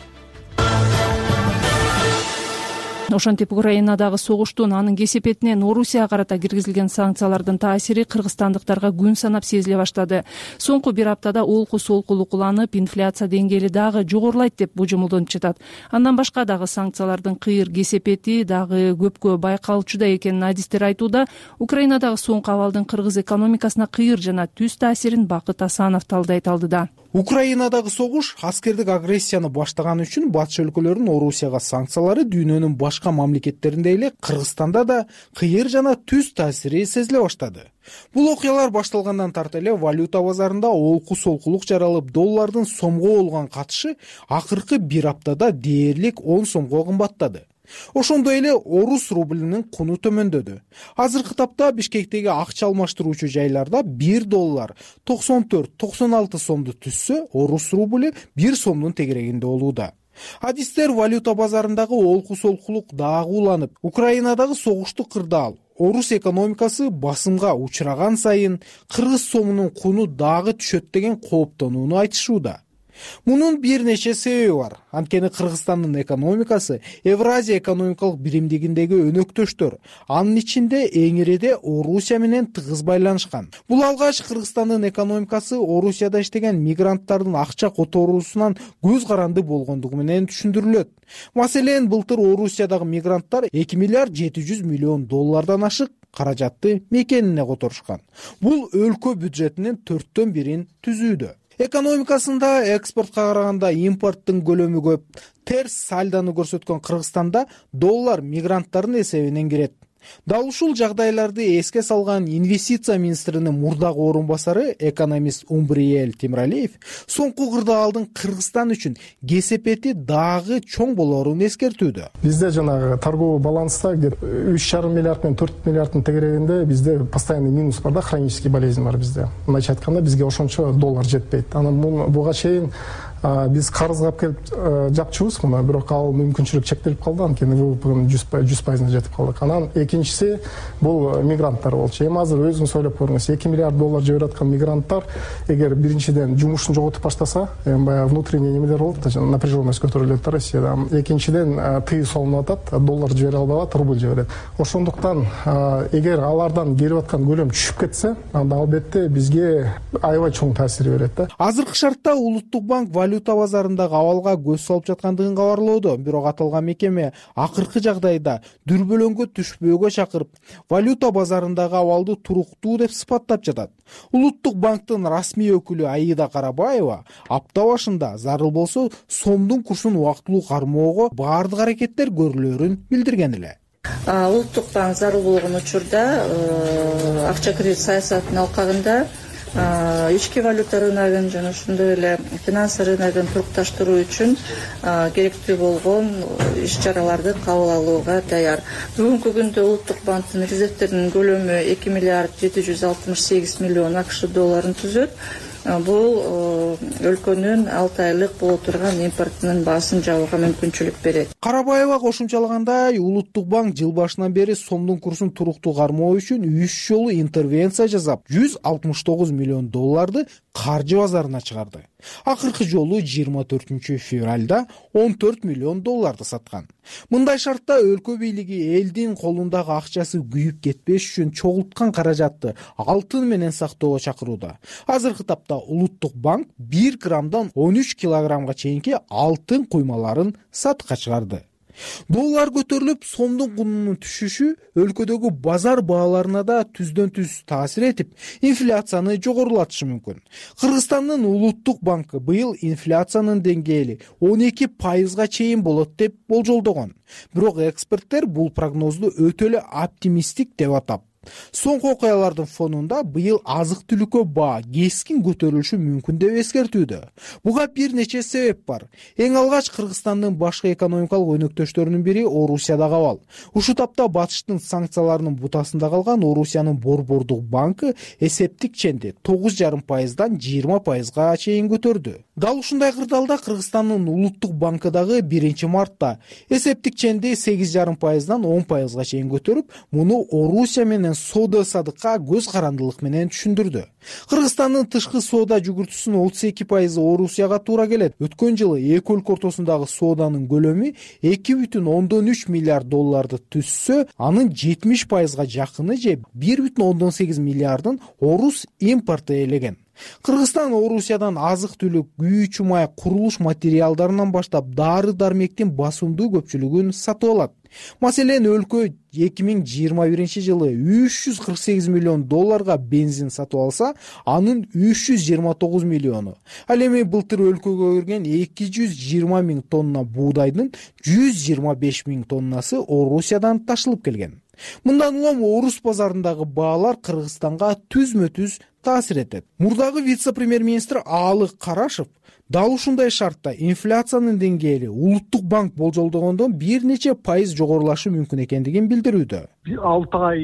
S6: Ошентип Украинадагы согуштун анын кесепетинен Орусияга карата киргизилген санкциялардын таасири кыргызстандыктарга күн санап сезиле баштады. Соңку бир аптада олку солкулук уланып, инфляция деңгээли дагы жогорулайт деп божомолдонуп жатат. Андан башка дагы санкциялардын кыйыр кесепети дагы көпкө байкалчуда экенин адистер айтууда. Украинадагы соңку абалдын кыргыз экономикасына кыйыр жана түз таасирин Бакыт Асанов талдайт алдыда.
S8: Украинадагы согуш аскердик агрессияны баштаганы үчүн батыш өлкөлөрүнүн Орусияга санкциялары дүйнөнүн башка мамлекеттеринде эле Кыргызстанда да кыйыр жана түз таасири сезиле баштады. Бул окуялар башталгандан тарта эле валюта базарында олку солкулук жаралып, доллардын сомго болгон катышы акыркы бир аптада дээрлик 10 сомго кымбаттады. Ошондой эле орус рублинин куну төмөндөдү. Азыркы тапта Бишкектеги акча алмаштыруучу жайларда 1 доллар 94-96 сомду түзсө, орус рубли 1 сомдун тегерегинде болууда. Адистер валюта базарындагы олку солкулук дагы уланып, Украинадагы согушту кырдаал, орус экономикасы басымга учураган сайын кыргыз сомунун куну дагы түшөт деген кооптонууну айтышууда. Мунун бир нече себеби бар. Анткени Кыргызстандын экономикасы Евразия экономикалык биримдигиндеги өнөктөштөр, анын ичинде эң ириде Орусия менен тыгыз байланышкан. Бул алгач Кыргызстандын экономикасы Орусияда иштеген мигранттардын акча которуусунан көз каранды болгондугу менен түшүндүрүлөт. Маселен, былтыр Орусиядагы мигранттар 2 миллиард 700 миллион доллардан ашык каражатты мекенине которушкан. Бул өлкө бюджетинин 4/1 түзүүдө. Экономикасында экспортко караганда импорттун көлөмү көп. Терс сальдону көрсөткөн Кыргызстанда доллар мигранттардын эсебинен кирет. Дал ушул жагдайларды эске салган инвестиция министринин мурдагы орун басары экономист Умбриел Темиралиев соңку кырдаалдын Кыргызстан үчүн кесепети дагы чоң болорун эскертүүдө.
S16: Бизде жанагы торговый баланста 3,5 миллиард менен 4 миллиарддын тегерегинде бизде постоянный минус бар да, хронический болезнь бар бизде. Мындайча айтканда бизге ошончо доллар жетпейт. Анан буга чейин биз карызга алып келип жапчубуз муну, бирок ал мүмкүнчүлүк чектелип калды, анткени ВВПнын 100% жетип калдык. Анан экинчиси бул мигранттар болчу. Эми азыр өзүңүз ойлоп көрүңүз, 2 миллиард доллар жиберип аткан мигранттар эгер биринчиден жумушун жоготуп баштаса, эми баягы внутренний немелер болот да, напряженность көтөрүлөт да Россияда. Экинчиден тыюу салынып атат, доллар жибере албай атат, рубль жиберет. Ошондуктан эгер алардан келип аткан көлөм түшүп кетсе, анда албетте бизге аябай чоң таасир берет да.
S8: Азыркы шартта Улуттук банк валюта базарындагы абалга көз салып жаткандыгын кабарлоодо, бирок аталган мекеме акыркы жагдайда дүрбөлөңгө түшпөөгө чакырып, валюта базарындагы абалды туруктуу деп сыпаттап жатат. Улуттук банктын расмий өкүлү Аида Карабаева апта башында зарыл болсо сомдун курсун убактылуу кармоого баардык аракеттер көрүлөрүн билдирген эле.
S10: Улуттук банк зарыл болгон учурда акча кредит саясатынын алкагында ички валюта рыногун жана ошондой эле финансы рыногун турукташтыруу үчүн керектүү болгон иш-чараларды кабыл алууга даяр. Бүгүнкү күндө Улуттук банктын резервтеринин көлөмү 2 миллиард 768 миллион АКШ долларын түзөт. Бул өлкөнүн 6 айлык боло турган импортунун баасын жабууга мүмкүнчүлүк берет.
S8: Карабаева кошумчалагандай, Улуттук банк жыл башынан бери сомдун курсун туруктуу кармоо үчүн 3 жолу интервенция жасап, 169 миллион долларды каржы базарына чыгарды. Акыркы жолу 24 февралда 14 миллион долларды саткан. Мындай шартта өлкө бийлиги элдин колундагы акчасы күйүп кетпеш үчүн чогулткан каражатты алтын менен сактоого чакырууда. Азыркы тапта Улуттук банк 1 граммдан 13 килограммга чейинки алтын куймаларын сатыкка чыгарды. Доллар көтөрүлүп, сомдун кунунун түшүшү өлкөдөгү базар бааларына да түздөн түз таасир этип, инфляцияны жогорулатышы мүмкүн. Кыргызстандын Улуттук банкы быйыл инфляциянын деңгээли 12% чейин болот деп болжолдогон. Бирок эксперттер бул прогнозду өтө эле оптимисттик деп атап, соңку окуялардын фонунда быйыл азык-түлүккө баа кескин көтөрүлүшү мүмкүн деп эскертүүдө. Буга бир нече себеп бар. Эң алгач Кыргызстандын башкы экономикалык өнөктөштөрүнүн бири Орусиядагы абал. Ушул тапта батыштын санкцияларынын бутасында калган Орусиянын Борбордук банкы эсептик ченди 9,5%дан 20%га чейин көтөрдү. Дал ушундай кырдаалда Кыргызстандын Улуттук банкы дагы 1 мартта эсептик ченди 8,5%дан 10%га чейин көтөрүп, муну Орусия менен соода садыкка көз карандылык менен түшүндүрдү. Кыргызстандын тышкы соода жүгүртүүсүнүн 32% Орусияга туура келет. Өткөн жылы эки өлкө ортосундагы сооданын көлөмү 2,3 миллиард долларды түзсө, анын 70%га жакыны же 1,8 миллиардын орус импорту ээлеген. Кыргызстан Орусиядан азык-түлүк, күйүүчү май, курулуш материалдарынан баштап дары-дармектин басымдуу көпчүлүгүн сатып алат. Маселен, өлкө 2021 жылы 348 миллион долларга бензин сатып алса, анын 329 миллиону. Ал эми былтыр өлкөгө кирген 220 миң тонна буудайдын 125 миң тоннасы Орусиядан ташылып келген. Мындан улам орус базарындагы баалар Кыргызстанга түзмө-түз таасир этет. Мурдагы вице-премьер-министр Аалык Карашев дал ушундай шартта инфляциянын деңгээли Улуттук банк болжолдогондон бир нече пайыз жогорулашы мүмкүн экендигин билдирүүдө.
S11: 6 ай,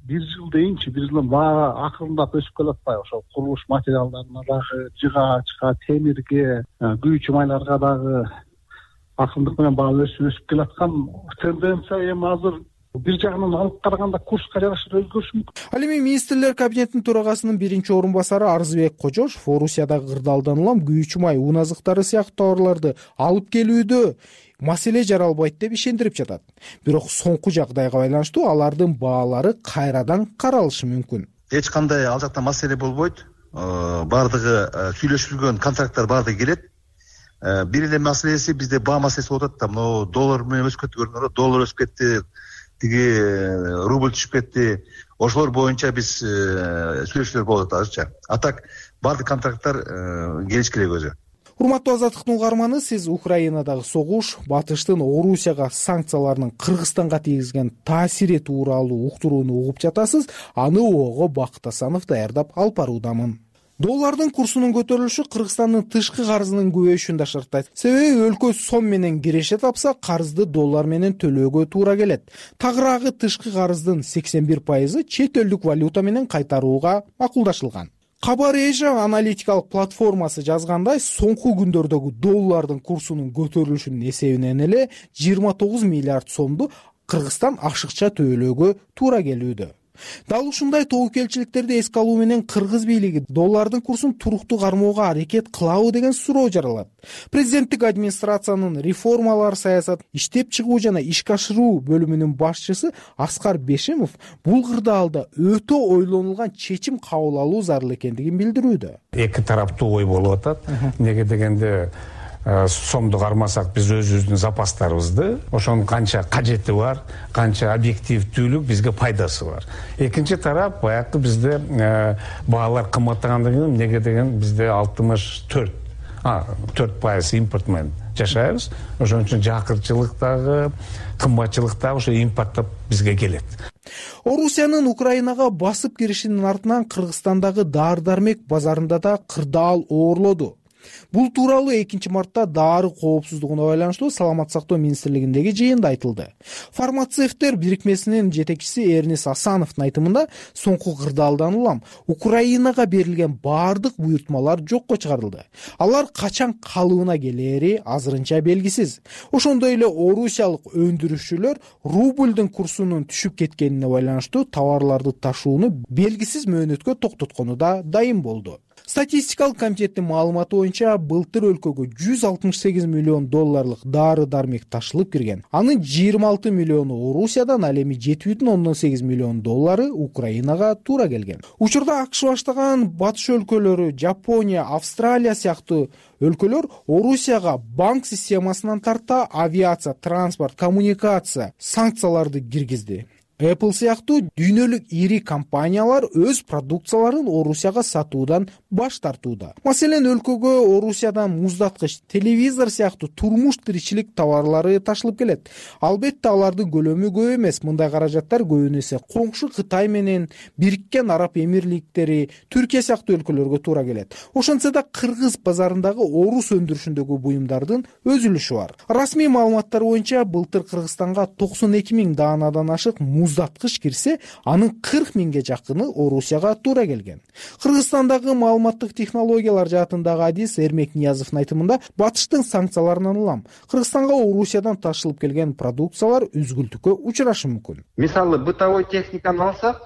S11: 1 жыл дейинчи, бир жылдан баа акырындап өсүп келатпайбы? Ошол курулуш материалдарына дагы, жыгаачка, темирге, күйүүчү майларга дагы акырындык менен баа өсүп келаткан тенденция эми азыр бир жагынан алып караганда курска жараша өзгөрүшү мүмкүн.
S8: Ал эми министрлер кабинетинин төрагасынын биринчи орун басары Арзыбек Кожошов Орусиядагы кырдаалдан улам күйүүчү май, ун азыктары сыяктуу товарларды алып келүүдө маселе жаралбайт деп ишендирип жатат. Бирок соңку жагдайга байланыштуу алардын баалары кайрадан каралышы мүмкүн.
S12: Эч кандай ал жакта маселе болбойт. Бардыгы сүйлөшүлгөн контракттар бардыгы келет. Бир эле маселеси бизде баа маселеси болуп атат. Мына доллар менен өсүп кетти, көрдүңөрбү? Доллар өсүп кетти. Тиги рубль түшүп кетти. Ошолор боюнча биз сүйлөшүүлөр болуп атат азырча. А так баардык контракттар келиш керек өзү.
S8: Урматтуу Азаттыктын угарманы, сиз Украинадагы согуш, батыштын Орусияга санкцияларынын Кыргызстанга тийгизген таасири тууралуу уктурууну угуп жатасыз. Аны ого Бакыт Асанов даярдап алып баруудамын. Доллардын курсунун көтөрүлүшү Кыргызстандын тышкы карызынын көбөйүшүн да шарттайт. Себеби өлкө сом менен киреше тапса, карызды доллар менен төлөөгө туура келет. Тагыраагы тышкы карыздын 81% чет элдик валюта менен кайтарууга макулдашылган. Кабар Эжа аналитикалык платформасы жазгандай, соңку күндөрдөгү доллардын курсунун көтөрүлүшүнүн эсебинен эле 29 миллиард сомду Кыргызстан ашыкча төлөөгө туура келүүдө. Дал ушундай тобокелчиликтерди эске алуу менен кыргыз бийлиги доллардын курсун туруктуу кармоого аракет кылабы деген суроо жаралат. Президенттик администрациянын реформалар саясат иштеп чыгуу жана ишке ашыруу бөлүмүнүн башчысы Аскар Бешимов бул кырдаалда өтө ойлонулган чечим кабыл алуу зарыл экендигин билдирүүдө.
S13: Эки тараптуу ой болуп атат. Неге дегенде сомду кармасак биз өзүбүздүн запастарыбызды, ошонун канча кажети бар, канча объективдүүлүк бизге пайдасы бар. Экинчи тарап баягы бизде баалар кымбаттагандан кийин неге деген бизде 4% импорт менен жашайбыз. Ошон үчүн жакырчылыктагы, кымбатчылыктагы ошо импорттоп бизге келет.
S8: Орусиянын Украинага басып киришинин артынан Кыргызстандагы дары-дармек базарында да кырдаал оорлоду. Бул тууралуу 2-мартта дары коопсуздугуна байланыштуу Саламаттык сактоо министрлигиндеги жыйында айтылды. Фармацевттер бирикмесинин жетекчиси Эрнис Асановдун айтымында, соңку кырдаалдан улам Украинага берилген баардык буйртмалар жокко чыгарылды. Алар качан калыбына келери азырынча белгисиз. Ошондой эле орусиялык өндүрүүчүлөр рубльдин курсунун түшүп кеткенине байланыштуу товарларды ташууну белгисиз мөөнөткө токтоткону да дайым болду. Статистикалык комитеттин маалыматы боюнча былтыр өлкөгө 168 миллион долларлык дары-дармек ташылып кирген. Анын 26 миллиону Орусиядан, ал эми 7,8 миллион доллары Украинага туура келген. Учурда АКШ баштаган батыш өлкөлөрү, Жапония, Австралия сыяктуу өлкөлөр Орусияга банк системасынан тарта авиация, транспорт, коммуникация санкцияларды киргизди. Apple сыяктуу дүйнөлүк ири компаниялар өз продукцияларын Орусияга сатуудан баш тартууда. Маселен, өлкөгө Орусиядан муздаткыч, телевизор сыяктуу турмуш тиричилик товарлары ташылып келет. Албетте алардын көлөмү көп эмес. Мындай каражаттар көбүнесе коңшу Кытай менен Бириккен Араб Эмирликтери, Түркия сыяктуу өлкөлөргө туура келет. Ошентсе да кыргыз базарындагы орус өндүрүшүндөгү буюмдардын өз үлүшү бар. Расмий маалыматтар боюнча былтыр Кыргызстанга 92 миң даанадан ашык муздаткыч кирсе, анын 40 миңге жакыны Орусияга туура келген. Кыргызстандагы маалыматтык технологиялар жаатындагы адис Эрмек Ниязовдун айтымында, батыштын санкцияларынан улам Кыргызстанга Орусиядан ташылып келген продукциялар үзгүлтүккө учурашы мүмкүн.
S15: Мисалы, бытовой техниканы алсак,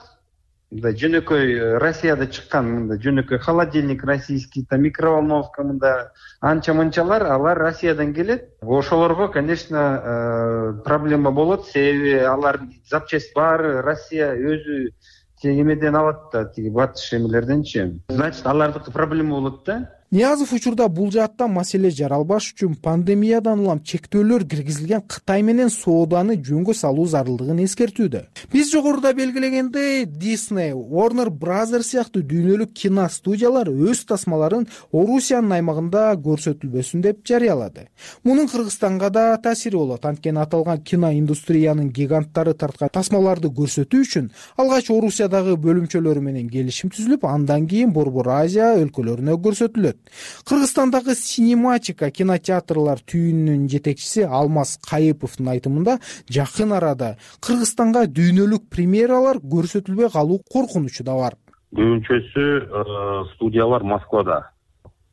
S2: мындай жөнөкөй Россияда чыккан мындай жөнөкөй холодильник российский, микроволновка мындай анча мынчалар алар Россиядан келет. Ошолорго, конечно, проблема болот. Себеби алар запчасть баары Россия өзү эмеден алат да, тиги батыш эмелерденчи. Значит, алардыкы проблема болот да.
S8: Ниязов учурда бул жаатта маселе жаралбаш үчүн пандемиядан улам чектөөлөр киргизилген Кытай менен сооданы жөнгө салуу зарылдыгын эскертүүдө. Биз жогоруда белгилегендей, Disney, Warner Brothers сыяктуу дүйнөлүк кино студиялар өз тасмаларын Орусиянын аймагында көрсөтүлбөсүн деп жарыялады. Мунун Кыргызстанга да таасири болот. Анткени аталган кино индустриянын гиганттары тарткан тасмаларды көрсөтүү үчүн алгач Орусиядагы бөлүмчөлөрү менен келишим түзүлүп, андан кийин Борбор Азия өлкөлөрүнө көрсөтүлөт. Кыргызстандагы Синематика кинотеатрлар түйүнүнүн жетекчиси Алмаз Кайыповдун айтымында, жакын арада Кыргызстанга дүйнөлүк премьералар көрсөтүлбөй калуу коркунучу да бар.
S14: Көбүнчөсү студиялар Москвада.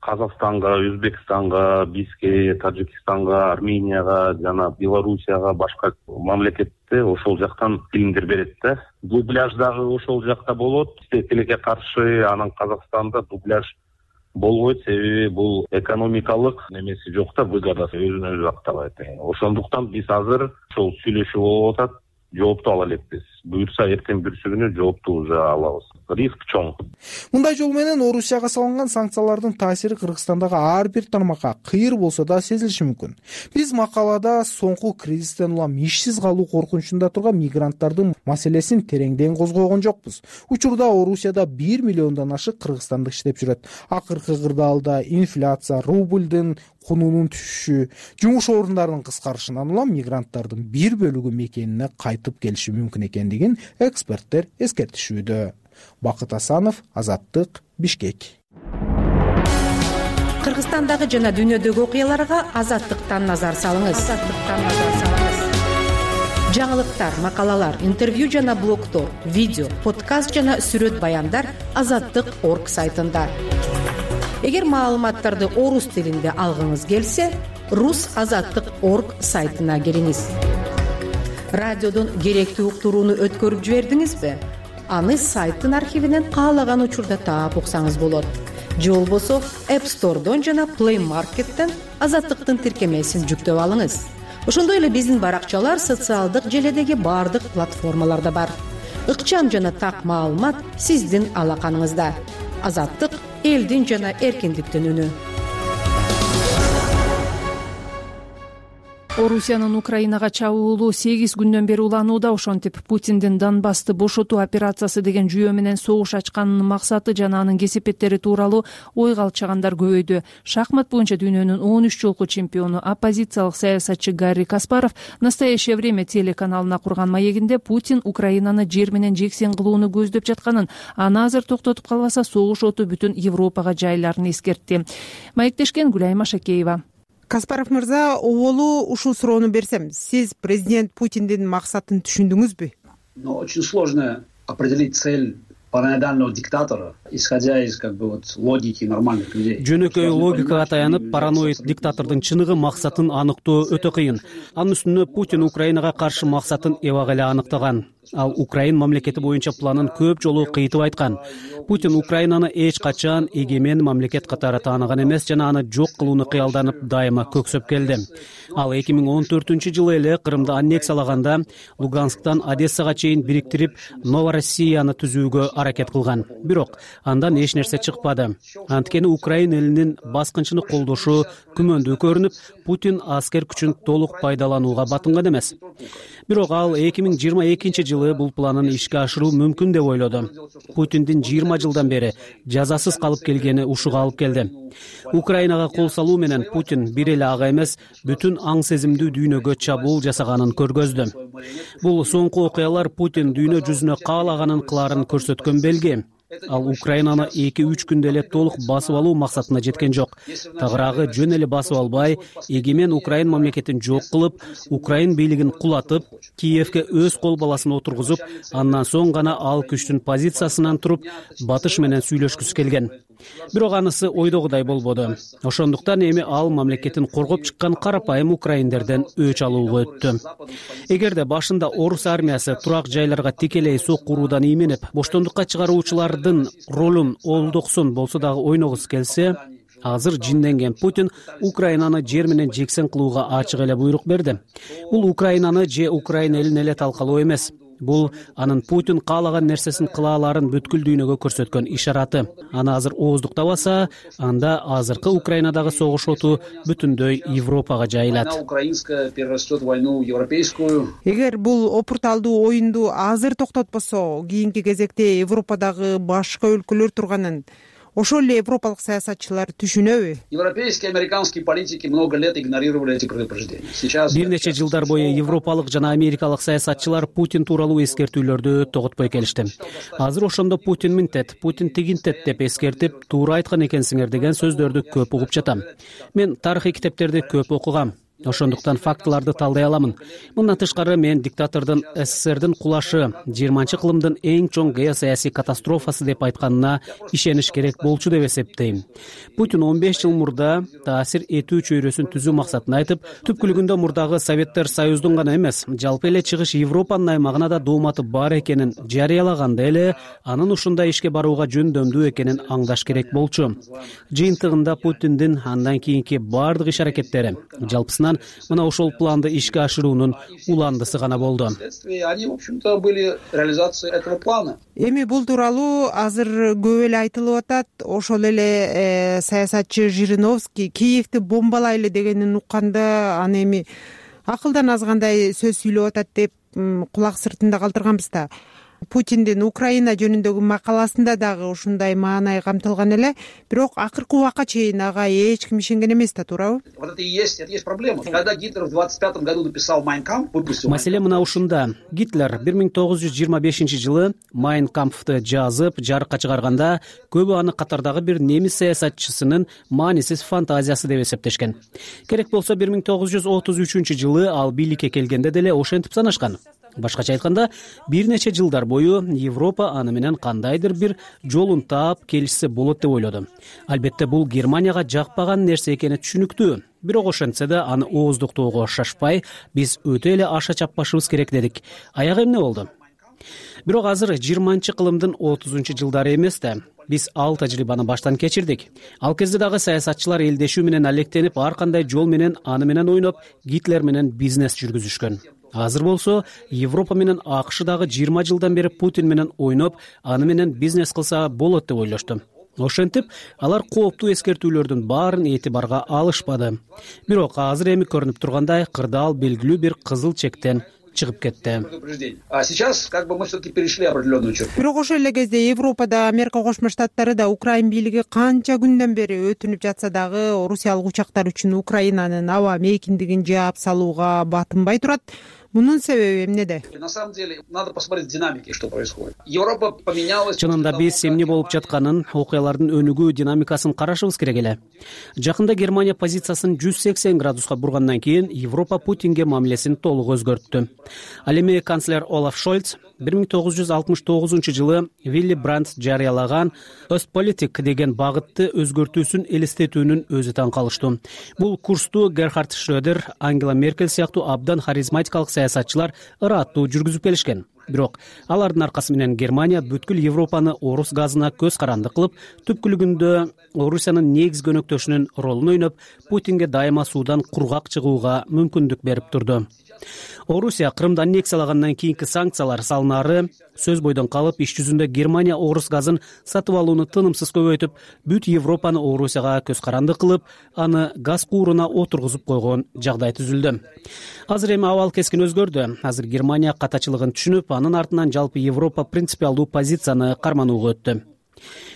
S14: Казакстанга, Өзбекстанга, Бишкекке, Тажикстанга, Арменияга жана Белоруссияга, башка мамлекетте ошол жактан фильмдер берет да. Дубляж дагы ошол жакта болот. Тилекке каршы анан Казакстанда дубляж болбойт, себеби бул экономикалык немеси жок да, выгодасы өзүнө өзү актабайт. Ошондуктан биз азыр ошол сүйлөшүү болуп атат, жоопту ала элекпиз. Буюрса эртең бүрсү күнү жоопту уже алабыз. Риск чоң.
S8: Мындай жол менен Орусияга салынган санкциялардын таасири Кыргызстандагы ар бир тармакка кыйыр болсо да сезилиши мүмкүн. Биз макалада соңку кризистен улам ишсиз калуу коркунучунда турган мигранттардын маселесин тереңден козгогон жокпуз. Учурда Орусияда 1 миллиондон ашык кыргызстандык иштеп жүрөт. Акыркы кырдаалда инфляция, рубльдин кунунун түшүшү, жумуш орундарынын кыскарышынан улам мигранттардын бир бөлүгү мекенине кайтып келиши мүмкүн экендигин эксперттер эскертишүүдө. Бакыт Асанов, Азаттык, Бишкек.
S1: Кыргызстандагы жана дүйнөдөгү окуяларга Азаттыктан назар салыңыз. Жаңылыктар, макалалар, интервью жана блогтор, видео, подкаст жана сүрөт баяндар Азаттык.орг сайтында. Эгер маалыматтарды орус тилинде алгыңыз келсе, rusazаттык.орг сайтына келиңиз. Радиодон керектүү уктурууну өткөрүп жибердиңизби? Аны сайттын архивинен каалаган учурда таап уксаңыз болот. Же болбосо App Store'дон жана Play Market'тен Азаттыктын тиркемесин жүктөп алыңыз. Ошондой эле биздин баракчалар социалдык желедеги бардык платформаларда бар. Ыкчам жана так маалымат сиздин алаканыңызда. Азаттык — элдин жана эркиндиктин үнү.
S6: Орусиянын Украинага чабуулу 8 күндөн бери уланууда. Ошентип Путиндин Донбассты бошотуу операциясы деген жүйө менен согуш ачканынын максаты жана анын кесепеттери тууралуу ой калчагандар көбөйдү. Шахмат боюнча дүйнөнүн 13 жолку чемпиону, оппозициялык саясатчы Гарри Каспаров «Настоящее время» телеканалына курган маегинде Путин Украинаны жер менен жексен кылууну көздөп жатканын, аны азыр токтотуп калбаса согуш оту бүтүн Европага жайларын эскертти. Маектешкен Гүлайма Шакеева.
S15: Каспаров мырза, оболу ушул суроону берсем, сиз президент Путиндин максатын түшүндүңүзбү?
S7: Очень сложно определить цель параноидального диктатора, исходя из логики нормальных людей.
S9: Жөнөкөй логикага таянып, параноид диктатордун чыныгы максатын аныктоо өтө кыйын. Анын үстүнө Путин Украинага каршы максатын эбак эле аныктаган. Ал Украин мамлекети боюнча планын көп жолу кыйтып айткан. Путин Украинаны эч качан эгемен мамлекет катары тааныган эмес жана аны жок кылууну кыялданып дайыма көксөп келди. Ал 2014-жылы эле Крымды аннексиялаганда Лугансктан Одессага чейин бириктирип Новороссияны түзүүгө аракет кылган. Бирок андан эч нерсе чыкпады. Анткени Украин элинин баскынчыны колдошу күмөндүү көрүнүп, Путин аскер күчүн толук пайдаланууга батынган эмес. Бирок ал 2022-жылы бул планын ишке ашыруу мүмкүн деп ойлоду. Путиндин 20 жылдан бери жазасыз калып келгени ушуга алып келди. Украинага кол салуу менен Путин бир эле ага эмес, бүтүн аң сезимдүү дүйнөгө чабуул жасаганын көргөздү. Бул соңку окуялар Путин дүйнө жүзүнө каалаганын кылаарын көрсөткөн белги. Ал Украинаны 2-3 күндө эле толук басып алуу максатына жеткен жок. Тагыраагы жөн эле басып албай, эгемен Украин мамлекетин жок кылып, Украин бийлигин кулатып, Киевке өз кол баласын отургузуп, андан соң гана ал күчтүн позициясынан туруп, батыш менен сүйлөшкүсү келген. бирок анысы ойдогудай болбоду. Ошондуктан эми ал мамлекетин коргоп чыккан карапайым украиндерден өч алууга өттү. Эгерде башында орус армиясы турак жайларга тикелей сокку уруудан ийменип, боштондукка чыгаруучулардын ролун олдоксун болсо дагы ойногусу келсе, азыр жинденген Путин Украинаны жер менен жексен кылууга ачык эле буйрук берди. Бул Украинаны же Украина элин эле талкалоо эмес. Бул анын Путин каалаган нерсесин кыла аларын бүткүл дүйнөгө көрсөткөн ишараты. Аны азыр ооздуктабаса, анда азыркы Украинадагы согуш оту бүтүндөй Европага жайылат.
S15: Эгер бул опурталдуу оюнду азыр токтотпосо, кийинки кезекте Европадагы башка өлкөлөр турганын ошол эле европалык саясатчылар түшүнөбү?
S7: Европейские и американские политики много лет игнорировали эти предупреждения. Сейчас
S9: бир нече жылдар бою европалык жана америкалык саясатчылар Путин тууралуу эскертүүлөрдү тоготпой келишти. Азыр ошондо Путин мынтет, Путин тигинтет деп эскертип, туура айткан экенсиңер деген сөздөрдү көп угуп жатам. Мен тарыхый китептерди көп окугам. Ошондуктан фактыларды талдай аламын. Мындан тышкары мен диктатордун СССРдин кулашы 20-кылымдын эң чоң геосаясий катастрофасы деп айтканына ишениш керек болчу деп эсептейм. Путин 15 жыл мурда таасир этүү чөйрөсүн түзүү максатын айтып, түпкүлүгүндө мурдагы Советтер Союздун гана эмес, жалпы эле чыгыш Европанын аймагына да дооматы бар экенин жарыялаганда эле анын ушундай ишке барууга жөндөмдүү экенин аңдаш керек болчу. Жыйынтыгында Путиндин андан кийинки бардык иш-аракеттери жалпысынан мына ошол планды ишке ашыруунун уландысы гана болду.
S7: Они, в общем-то, были реализацией этого плана.
S15: Эми бул тууралуу азыр көп эле айтылып атат. Ошол эле саясатчы Жириновский Киевди бомбалайлы дегенин укканда аны эми акылдан азгандай сөз сүйлөп атат деп кулак сыртында калтырганбыз да. Путиндин Украина жөнүндөгү макаласында дагы ушундай маанай камтылган эле, бирок акыркы убакка чейин ага эч ким ишенген эмес да, туурабы?
S7: Вот это и есть проблема. Когда Гитлер в 25 году написал Mein Kampf, выпустил.
S9: Маселе мына ушунда. Гитлер 1925-жылы Mein Kampf'ты жазып, жарыкка чыгарганда, көбү аны катардагы бир немис саясатчысынын маанисиз фантазиясы деп эсептешкен. Керек болсо 1933-жылы ал бийликке келгенде деле ошентип санашкан. Башкача айтканда, бир нече жылдар бою Европа аны менен кандайдыр бир жолун таап келишсе болот деп ойлоду. Албетте бул Германияга жакпаган нерсе экени түшүнүктүү. Бирок ошентсе да аны ооздуктоого шашпай, биз өтө эле аша чаппашыбыз керек дедик. Аягы эмне болду? Бирок азыр 20-кылымдын 30-жылдары эмес да. Биз ал тажрыйбаны баштан кечирдик. Ал кезде дагы саясатчылар элдешүү менен алектенип, ар кандай жол менен аны менен ойноп, Гитлер менен бизнес жүргүзүшкөн. Азыр болсо Европа менен АКШ дагы 20 жылдан бери Путин менен ойноп, аны менен бизнес кылса болот деп ойлошту. Ошентип, алар кооптуу эскертүүлөрдүн баарын этибарга алышпады. Бирок азыр эми көрүнүп тургандай, кырдаал белгилүү бир кызыл чектен чыгып кетти.
S7: А сейчас как бы мы все-таки перешли определенную черту.
S15: Бирок ошол эле кезде Европада Америка Кошмо Штаттары да Украин бийлиги канча күндөн бери өтүнүп жатса дагы орусиялык учактар үчүн Украинанын аба мейкиндигин жаап салууга батынбай турат. Мунун себеби эмнеде?
S7: На самом деле, надо посмотреть динамики, что происходит. Европа поменялась.
S9: Чынында биз эмне болуп жатканын, окуялардын өнүгүү динамикасын карашыбыз керек эле. Жакында Германия позициясын 180 градуска бургандан кийин Европа Путинге мамилесин толук өзгөрттү. Ал эми канцлер Олаф Шольц 1969-жылы Вилли Брандт жарыялаган Ostpolitik деген багытты өзгөртүүсүн элестетүүнүн өзү таң калыштуу. Бул курсту Герхард Шрёдер, Ангела Меркель сыяктуу абдан харизматикалык саясатчылар ыраттуу жүргүзүп келишкен. Бирок алардын аркасы менен Германия бүткүл Европаны орус газына көз каранды кылып, түпкүлүгүндө Орусиянын негизги өнөктөшүнүн ролун ойноп, Путинге дайыма суудан кургак чыгууга мүмкүндүк берип турду. Орусия Крымды аннексиялагандан кийинки санкциялар салынары сөз бойдон калып, иш жүзүндө Германия орус газын сатып алууну тынымсыз көбөйтүп, бүт Европаны Орусияга көз каранды кылып, аны газ кууруна отургузуп койгон жагдай түзүлдү. Азыр эми абал кескин өзгөрдү. Азыр Германия катачылыгын түшүнүп, анын артынан жалпы Европа принципиалдуу позицияны карманууга өттү.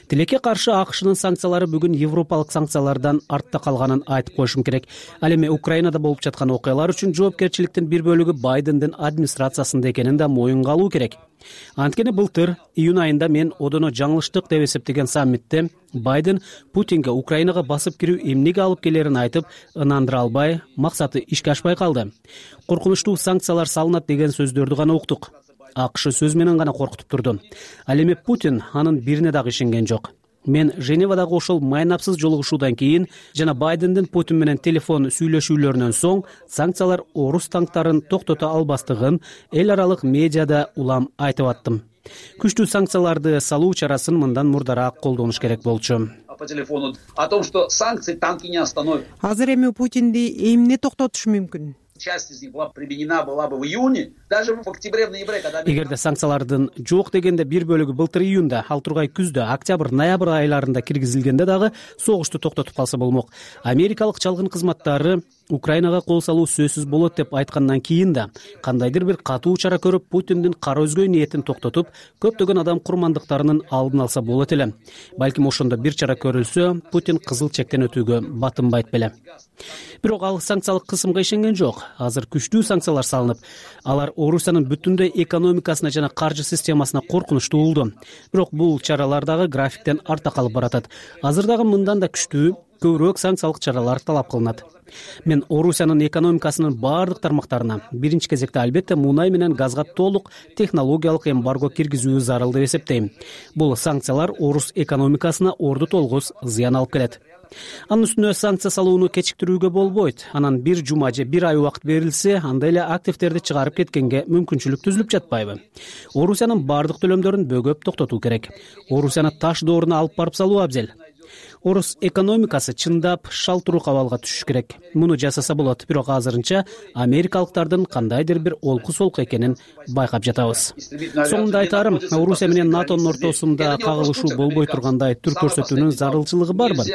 S9: Тилекке каршы АКШнын санкциялары бүгүн европалык санкциялардан артта калганын айтып коюшум керек. Ал эми Украинада болуп жаткан окуялар үчүн жоопкерчиликтин бир бөлүгү Байдендин администрациясында экенин да моюнга алуу керек. Анткени былтыр июнь айында мен одоно жаңылыштык деп эсептеген саммитте Байден Путинге Украинага басып кирүү эмнеге алып келерин айтып, ынандыра албай, максаты ишке ашпай калды. Коркунучтуу санкциялар салынат деген сөздөрдү гана уктук. АКШ сөз менен гана коркутуп турду. Ал эми Путин анын бирине дагы ишенген жок. мен Женевадагы ошол майнапсыз жолугушуудан кийин жана Байдендин Путин менен телефон сүйлөшүүлөрүнөн соң санкциялар орус танктарын токтото албастыгын эл аралык медиада улам айтып аттым. Күчтүү санкцияларды салуу чарасын мындан мурдараак колдонуш керек болчу.
S7: По телефону о том, что санкции танки не остановят.
S15: Азыр эми Путинди эмне токтотушу мүмкүн?
S7: Часть из них была бы в июне, даже в октябре, в ноябре, когда...
S9: Эгерде санкциялардын жок дегенде бир бөлүгү былтыр июнда, ал тургай күздө, октябрь, ноябрь айларында киргизилгенде дагы согушту токтотуп калса болмок. Америкалык чалгын кызматтары Украинага кол салуу сөзсүз болот деп айткандан кийин да кандайдыр бир катуу чара көрүп Путиндин кара өзгөй ниетин токтотуп, көптөгөн адам курмандыктарынын алдын алса болот эле. Балким ошондо бир чара көрүлсө, Путин кызыл чектен өтүүгө батынбайт беле. Бирок ал санкциялык кысымга ишенген жок. Азыр күчтүү санкциялар салынып, алар Орусиянын бүтүндөй экономикасына жана каржы системасына коркунуч туулду. Бирок бул чаралар дагы графиктен арта калып баратат. Азыр дагы мындан да күчтүү, көбүрөөк санкциялык чаралар талап кылынат. Мен Орусиянын экономикасынын бардык тармактарына, биринчи кезекте албетте мунай менен газга толук технологиялык эмбарго киргизүү зарыл деп эсептейм. Бул санкциялар орус экономикасына орду толгуз зыян алып келет. Анын үстүнө санкция салууну кечиктирүүгө болбойт. Анан бир жума же бир ай убакыт берилсе, анда эле активдерди чыгарып кеткенге мүмкүнчүлүк түзүлүп жатпайбы? Орусиянын бардык төлөмдөрүн бөгөп токтотуу керек. Орусияны таш дооруна алып барып салуу абзел. Орус экономикасы чындап шалтыруук абалга түшүш керек. Муну жасаса болот, бирок азырынча америкалыктардын кандайдыр бир олку солку экенин байкап жатабыз. Соңунда айтарым, Орусия менен НАТОнун ортосунда кагылышуу болбой тургандай түр көрсөтүүнүн зарылчылыгы барбы?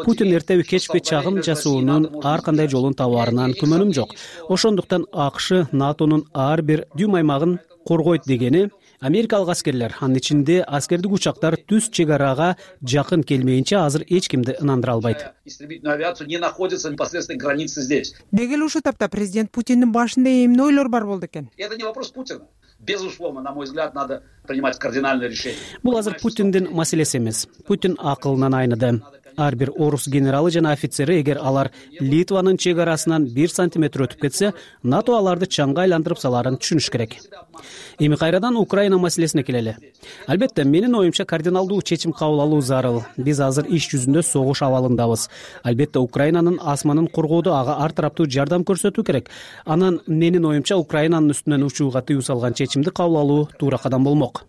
S9: Путин эртеби кечпи чагым жасоонун ар кандай жолун табаарынан күмөнүм жок. Ошондуктан АКШ НАТОнун ар бир дүйм аймагын коргойт дегени америкалык аскерлер, анын ичинде аскердик учактар түз чек арага жакын келмейинче азыр эч кимди ынандыра албайт.
S7: Истребительную авиацию не находится непосредственно границы здесь.
S15: Деги эле ушул тапта президент Путиндин башында эмне ойлор бар болду экен?
S7: Это не вопрос Путина. Безусловно, на мой взгляд, надо принимать кардинальное решение.
S9: Бул азыр Путиндин маселеси эмес. Путин акылынан айныды. Ар бир орус генералы жана офицери эгер алар Литванын чек арасынан 1 сантиметр өтүп кетсе, НАТО аларды чаңга айландырып саларын түшүнүш керек. Эми кайрадан Украина маселесине келели. Албетте, менин оюмча кардиналдуу чечим кабыл алуу зарыл. Биз азыр иш жүзүндө согуш абалындабыз. Албетте, Украинанын асманын коргоодо ага ар тараптуу жардам көрсөтүү керек. Анан менин оюмча Украинанын үстүнөн учууга тыюу салган чечимди кабыл алуу туура кадам болмок.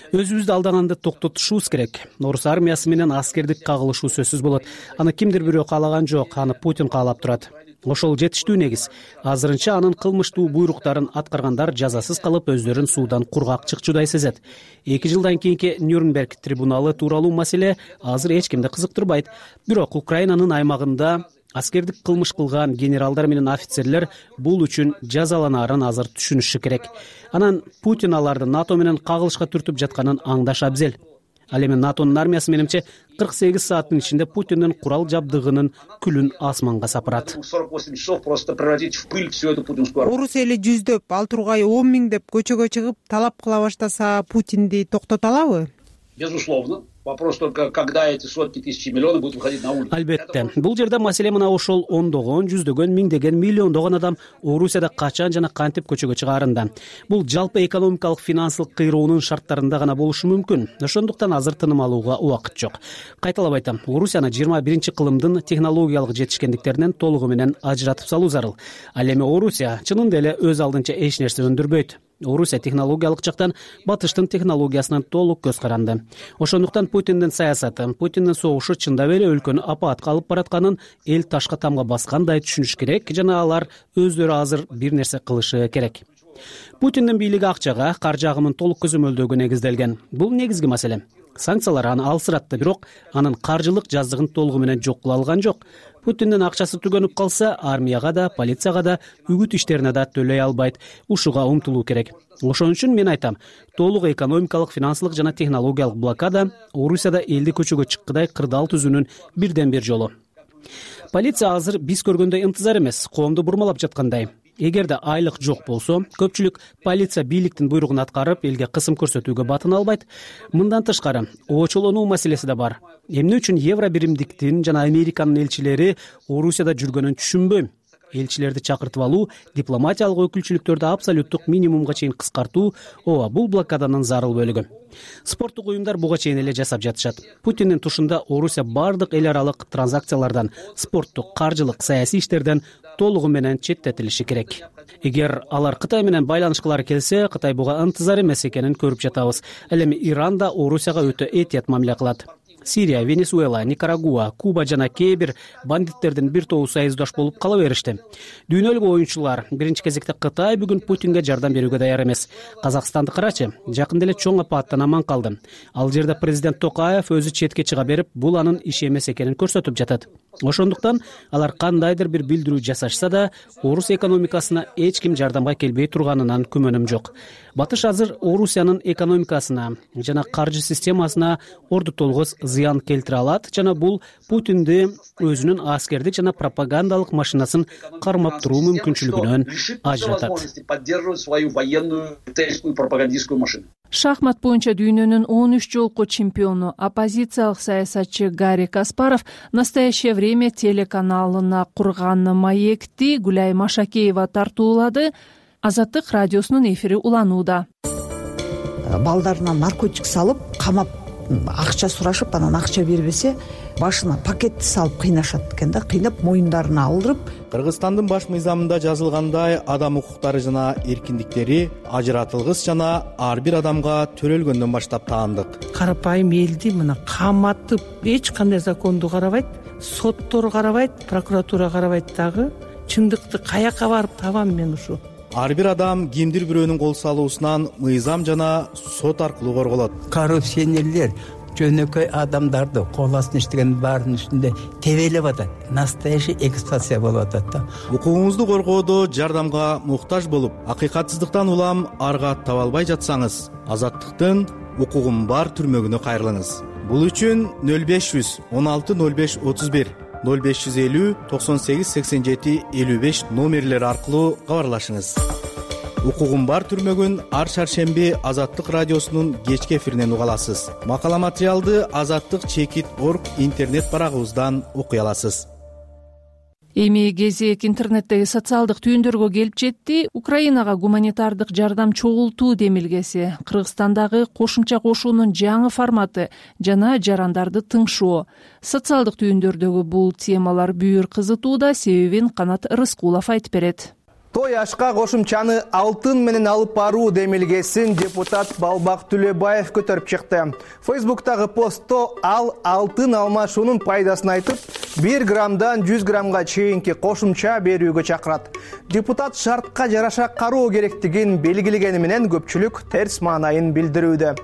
S9: Өзүбүздү алдаганды токтотушубуз керек. Орус армиясы менен аскердик кагылышуу сөзсүз болот. Аны кимдир бирөө каалаган жок, аны Путин каалап турат. Ошол жетиштүү негиз. Азырынча анын кылмыштуу буйруктарын аткаргандар жазасыз калып өздөрүн суудан кургак чыкчудай сезет. 2 жылдан кийинки Нюрнберг трибуналы тууралуу маселе азыр эч кимди кызыктырбайт. Бирок Украинанын аймагында аскердик кылмыш кылган генералдар менен офицерлер бул үчүн жазаланаарын азыр түшүнүшү керек. Анан Путин аларды НАТО менен кагылышка түртүп жатканын аңдаш абзел. Ал эми НАТОнун армиясы менимче 48 сааттын ичинде Путиндин курал жабдыгынын күлүн асманга сапырат.
S7: 48 часов просто превратить в пыль всю эту путинскую армию.
S15: Орус эли жүздөп, ал тургай 10 000 деп көчөгө чыгып талап кыла баштаса, Путинди токтото алабы?
S7: Безусловно. Вопрос только, когда эти сотни тысяч миллионов будут выходить на улицу.
S9: Албетте, бул жерде маселе мына ошол ондогон, жүздөгөн, миңдеген, миллиондогон адам Орусияда качан жана кантип көчөгө чыгаарында. Бул жалпы экономикалык финансылык кыйроонун шарттарында гана болушу мүмкүн. Ошондуктан азыр тыным алууга убакыт жок. Кайталап айтам, Орусияны 21-кылымдын технологиялык жетишкендиктеринен толугу менен ажыратып салуу зарыл. Ал эми Орусия чынында эле өз алдынча эч нерсе өндүрбөйт. Орусия технологиялык жактан батыштын технологиясынан толук көз каранды. Ошондуктан Путиндин саясаты, Путиндин согушу чындап эле өлкөнү апаатка алып баратканын эл ташка тамга баскандай түшүнүш керек жана алар өздөрү азыр бир нерсе кылышы керек. Путиндин бийлиги акчага, каржы агымын толук көзөмөлдөөгө негизделген. Бул негизги маселе. Санкциялар аны алсыратты, бирок анын каржылык жаздыгын толугу менен жок кыла алган жок. Путиндин акчасы түгөнүп калса, армияга да, полицияга да, үгүт иштерине да төлөй албайт. Ушуга умтулуу керек. Ошон үчүн мен айтам, толук экономикалык, финансылык жана технологиялык блокада Орусияда элди көчөгө чыккыдай кырдаал түзүүнүн бирден бир жолу. Полиция азыр биз көргөндөй ынтызар эмес, коомду бурмалап жаткандай. Эгерде айлык жок болсо, көпчүлүк полиция бийликтин буйругун аткарып, элге кысым көрсөтүүгө батын албайт. Мындан тышкары, очолонуу маселеси да бар. Эмне үчүн евро биримдиктин жана Американын элчилери Орусияда жүргөнүн түшүнбөйм. элчилерди чакыртып алуу, дипломатиялык өкүлчүлүктөрдү абсолюттук минимумга чейин кыскартуу ооба бул блокаданын зарыл бөлүгү. Спорттук уюмдар буга чейин эле жасап жатышат. Путиндин тушунда Орусия бардык эл аралык транзакциялардан, спорттук, каржылык, саясий иштерден толугу менен четтетилиши керек. Эгер алар Кытай менен байланышкылары келсе, Кытай буга ынтызар эмес экенин көрүп жатабыз. Ал эми Иран да Орусияга өтө этият мамиле кылат. Сирия, Венесуэла, Никарагуа, Куба жана кээ бир бандиттердин бир тобу союздаш болуп кала беришти. Дүйнөлүк оюнчулар, биринчи кезекте Кытай бүгүн Путинге жардам берүүгө даяр эмес. Казакстанды карачы, жакында эле чоң апаттан аман калды. Ал жерде президент Токаев өзү четке чыга берип, бул анын иши эмес экенин көрсөтүп жатат. Ошондуктан алар кандайдыр бир билдирүү жасашса да, Орус экономикасына эч ким жардамга келбей турганынан күмөнүм жок. Батыш азыр Орусиянын экономикасына жана каржы системасына орду толгоз зыян келтире алат жана бул Путинди өзүнүн аскердик жана пропагандалык машинасын кармап туруу мүмкүнчүлүгүнөн ажыратат.
S6: Шахмат боюнча дүйнөнүн 13 жолку чемпиону, оппозициялык саясатчы Гарри Каспаров «Настоящее время» телеканалына курган маекти Гүлай Машакеева тартуулады. Азаттык радиосунун эфири уланууда.
S3: Балдарына наркотик салып, камап, акча сурашып, анан акча бербесе, башына пакетти салып кыйнашат экен да, кыйнап моюндарына алдырып.
S17: Кыргызстандын баш мыйзамында жазылгандай, адам укуктары жана эркиндиктери ажыратылгыс жана ар бир адамга төрөлгөндөн баштап таандык.
S18: Карапайым элди мына каматып, эч кандай законду карабайт, соттор карабайт, прокуратура карабайт дагы. Чындыкты каяка барып табам мен ушу?
S17: Ар бир адам кимдир бирөөнүн кол салуусунан мыйзам жана сот аркылуу корголот.
S19: Коррупционерлер жөнөкөй адамдарды кол астына иштеген баарынын үстүндө тебелеп атат. Настоящий эксплуатация болуп атат да.
S17: Укугуңузду коргоодо жардамга муктаж болуп, акыйкатсыздыктан улам арга таба албай жатсаңыз, Азаттыктын укугум бар түрмөгүнө кайрылыңыз. Бул үчүн 0500 16 05 31 0550 98 87 55 номерлери аркылуу кабарлашыңыз. Укугум бар түрмөгүн ар шаршемби Азаттык радиосунун кечки эфиринен уга аласыз. Макала материалды azаттык.org интернет барагыбыздан окуй аласыз.
S6: Эми кезек интернеттеги социалдык түйүндөргө келип жетти. Украинага гуманитардык жардам чогултуу демилгеси, Кыргызстандагы кошумча кошуунун жаңы форматы жана жарандарды тыңшоо. Социалдык түйүндөрдөгү бул темалар бүйүр кызытууда, себебин Канат Рыскулов айтып берет.
S21: Той ашка кошумчаны алтын менен алып баруу демилгесин депутат Балбак Түлөбаев көтөрүп чыкты. Фейсбуктагы постто ал алтын алмашуунун пайдасын айтып, 1 граммдан 100 граммга чейинки кошумча берүүгө чакырат. Депутат шартка жараша кароо керектигин белгилегени менен көпчүлүк терс маанайын билдирүүдө.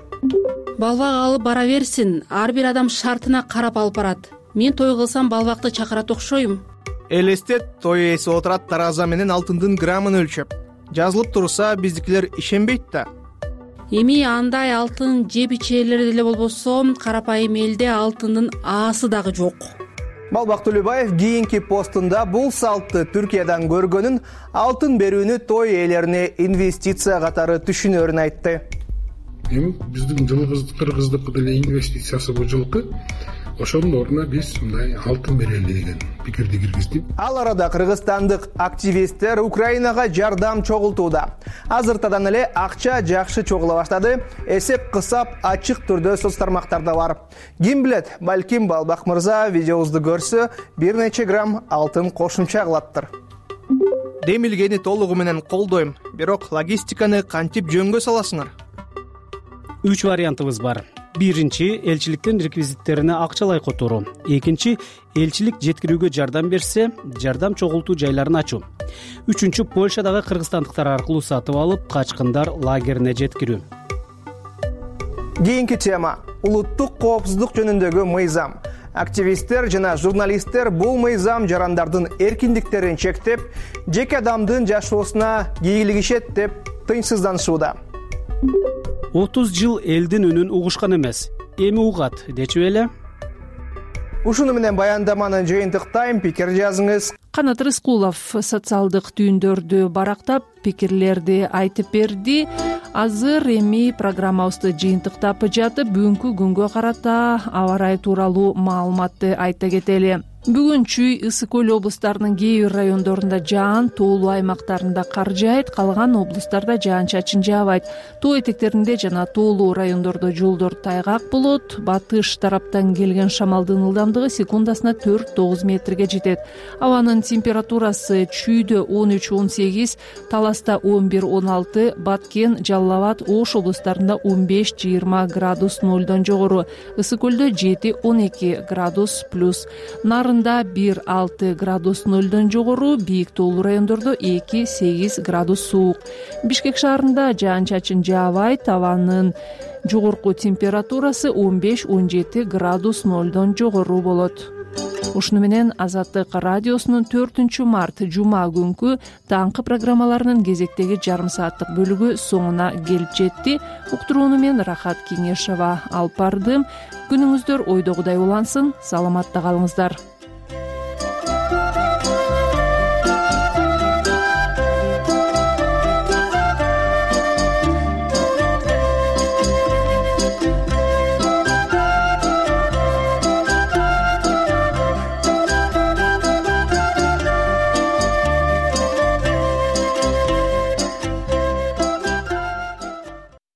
S24: Балбак алып бара берсин, ар бир адам шартына карап алып барат. Мен той кылсам балбакты чакырат окшойм.
S21: Элестет той ээси отурат тараза менен алтындын граммын өлчөп. Жазылып турса биздикилер ишенбейт да.
S24: Эми андай алтын жеп ичээлер деле болбосо, карапайым элде алтындын аасы дагы жок.
S21: Балбак Түлөбаев кийинки постунда бул салтты Түркиядан көргөнүн, алтын берүүнү той ээлерине инвестиция катары түшүнөрүн айтты.
S22: Эми биздин кыргыздыкы деле инвестициясы бул жылкы. Ошонун ордуна биз мындай алтын берели деген пикирди киргиздик.
S21: Ал арада кыргызстандык активисттер Украинага жардам чогултууда. Азыртадан эле акча жакшы чогула баштады. Эсеп кысап ачык түрдө соц тармактарда бар. Ким билет, балким Балбак мырза видеобузду көрсө, бир нече грамм алтын кошумча кылаттыр. Демилгени толугу менен колдойм, бирок логистиканы кантип жөнгө саласыңар?
S9: 3 вариантыбыз бар. Биринчи, элчиликтин реквизиттерине акчалай которуу. Экинчи, элчилик жеткирүүгө жардам берсе, жардам чогултуу жайларын ачуу. Үчүнчү, Польшадагы кыргызстандыктар аркылуу сатып алып, качкындар лагерине жеткирүү.
S21: Кийинки тема — улуттук коопсуздук жөнүндөгү мыйзам. Активисттер жана журналисттер бул мыйзам жарандардын эркиндиктерин чектеп, жеке адамдын жашоосуна кийлигишет деп тынчсызданышууда.
S9: 30 жыл элдин үнүн угушкан эмес, эми угат, дечү эле.
S21: Ушуну менен баяндаманы жыйынтыктайм, пикир жазыңыз.
S6: Канат Рыскулов социалдык түйүндөрдү барактап, пикирлерди айтып берди. Азыр эми программабызды жыйынтыктап жатып, бүгүнкү күнгө карата аба ырайы тууралуу маалыматты айта кетели. Бүгүн Чүй, Ысык көл облустарынын кээ бир райондорунда жаан, тоолуу аймактарында кар жаайт, калган облустарда жаан-чачын жаабайт. Тоо этектеринде жана тоолуу райондордо жолдор тайгак болот. Батыш тараптан келген шамалдын ылдамдыгы секундасына 4-9 метрге жетет. Абанын температурасы Чүйдө 13-18, Таласта 11-16, Баткен, Жалал Абад, Ош облустарында 15-20 градус нолдон жогору, Ысык көлдө 7-12 градус плюс, Нарында 1-6 градус нолдон жогору, бийик тоолуу райондордо 2-8 градус суук. Бишкек шаарында жаан-чачын жаабайт, абанын жогорку температурасы 15-17 градус нолдон жогору болот. Ушуну менен Азаттык радиосунун 4-март жума күнкү таңкы программаларынын кезектеги жарым сааттык бөлүгү соңуна келип жетти. Уктурууну мен Рахат Кеңешова алып бардым. Күнүңүздөр ойдогудай улансын, саламатта калыңыздар.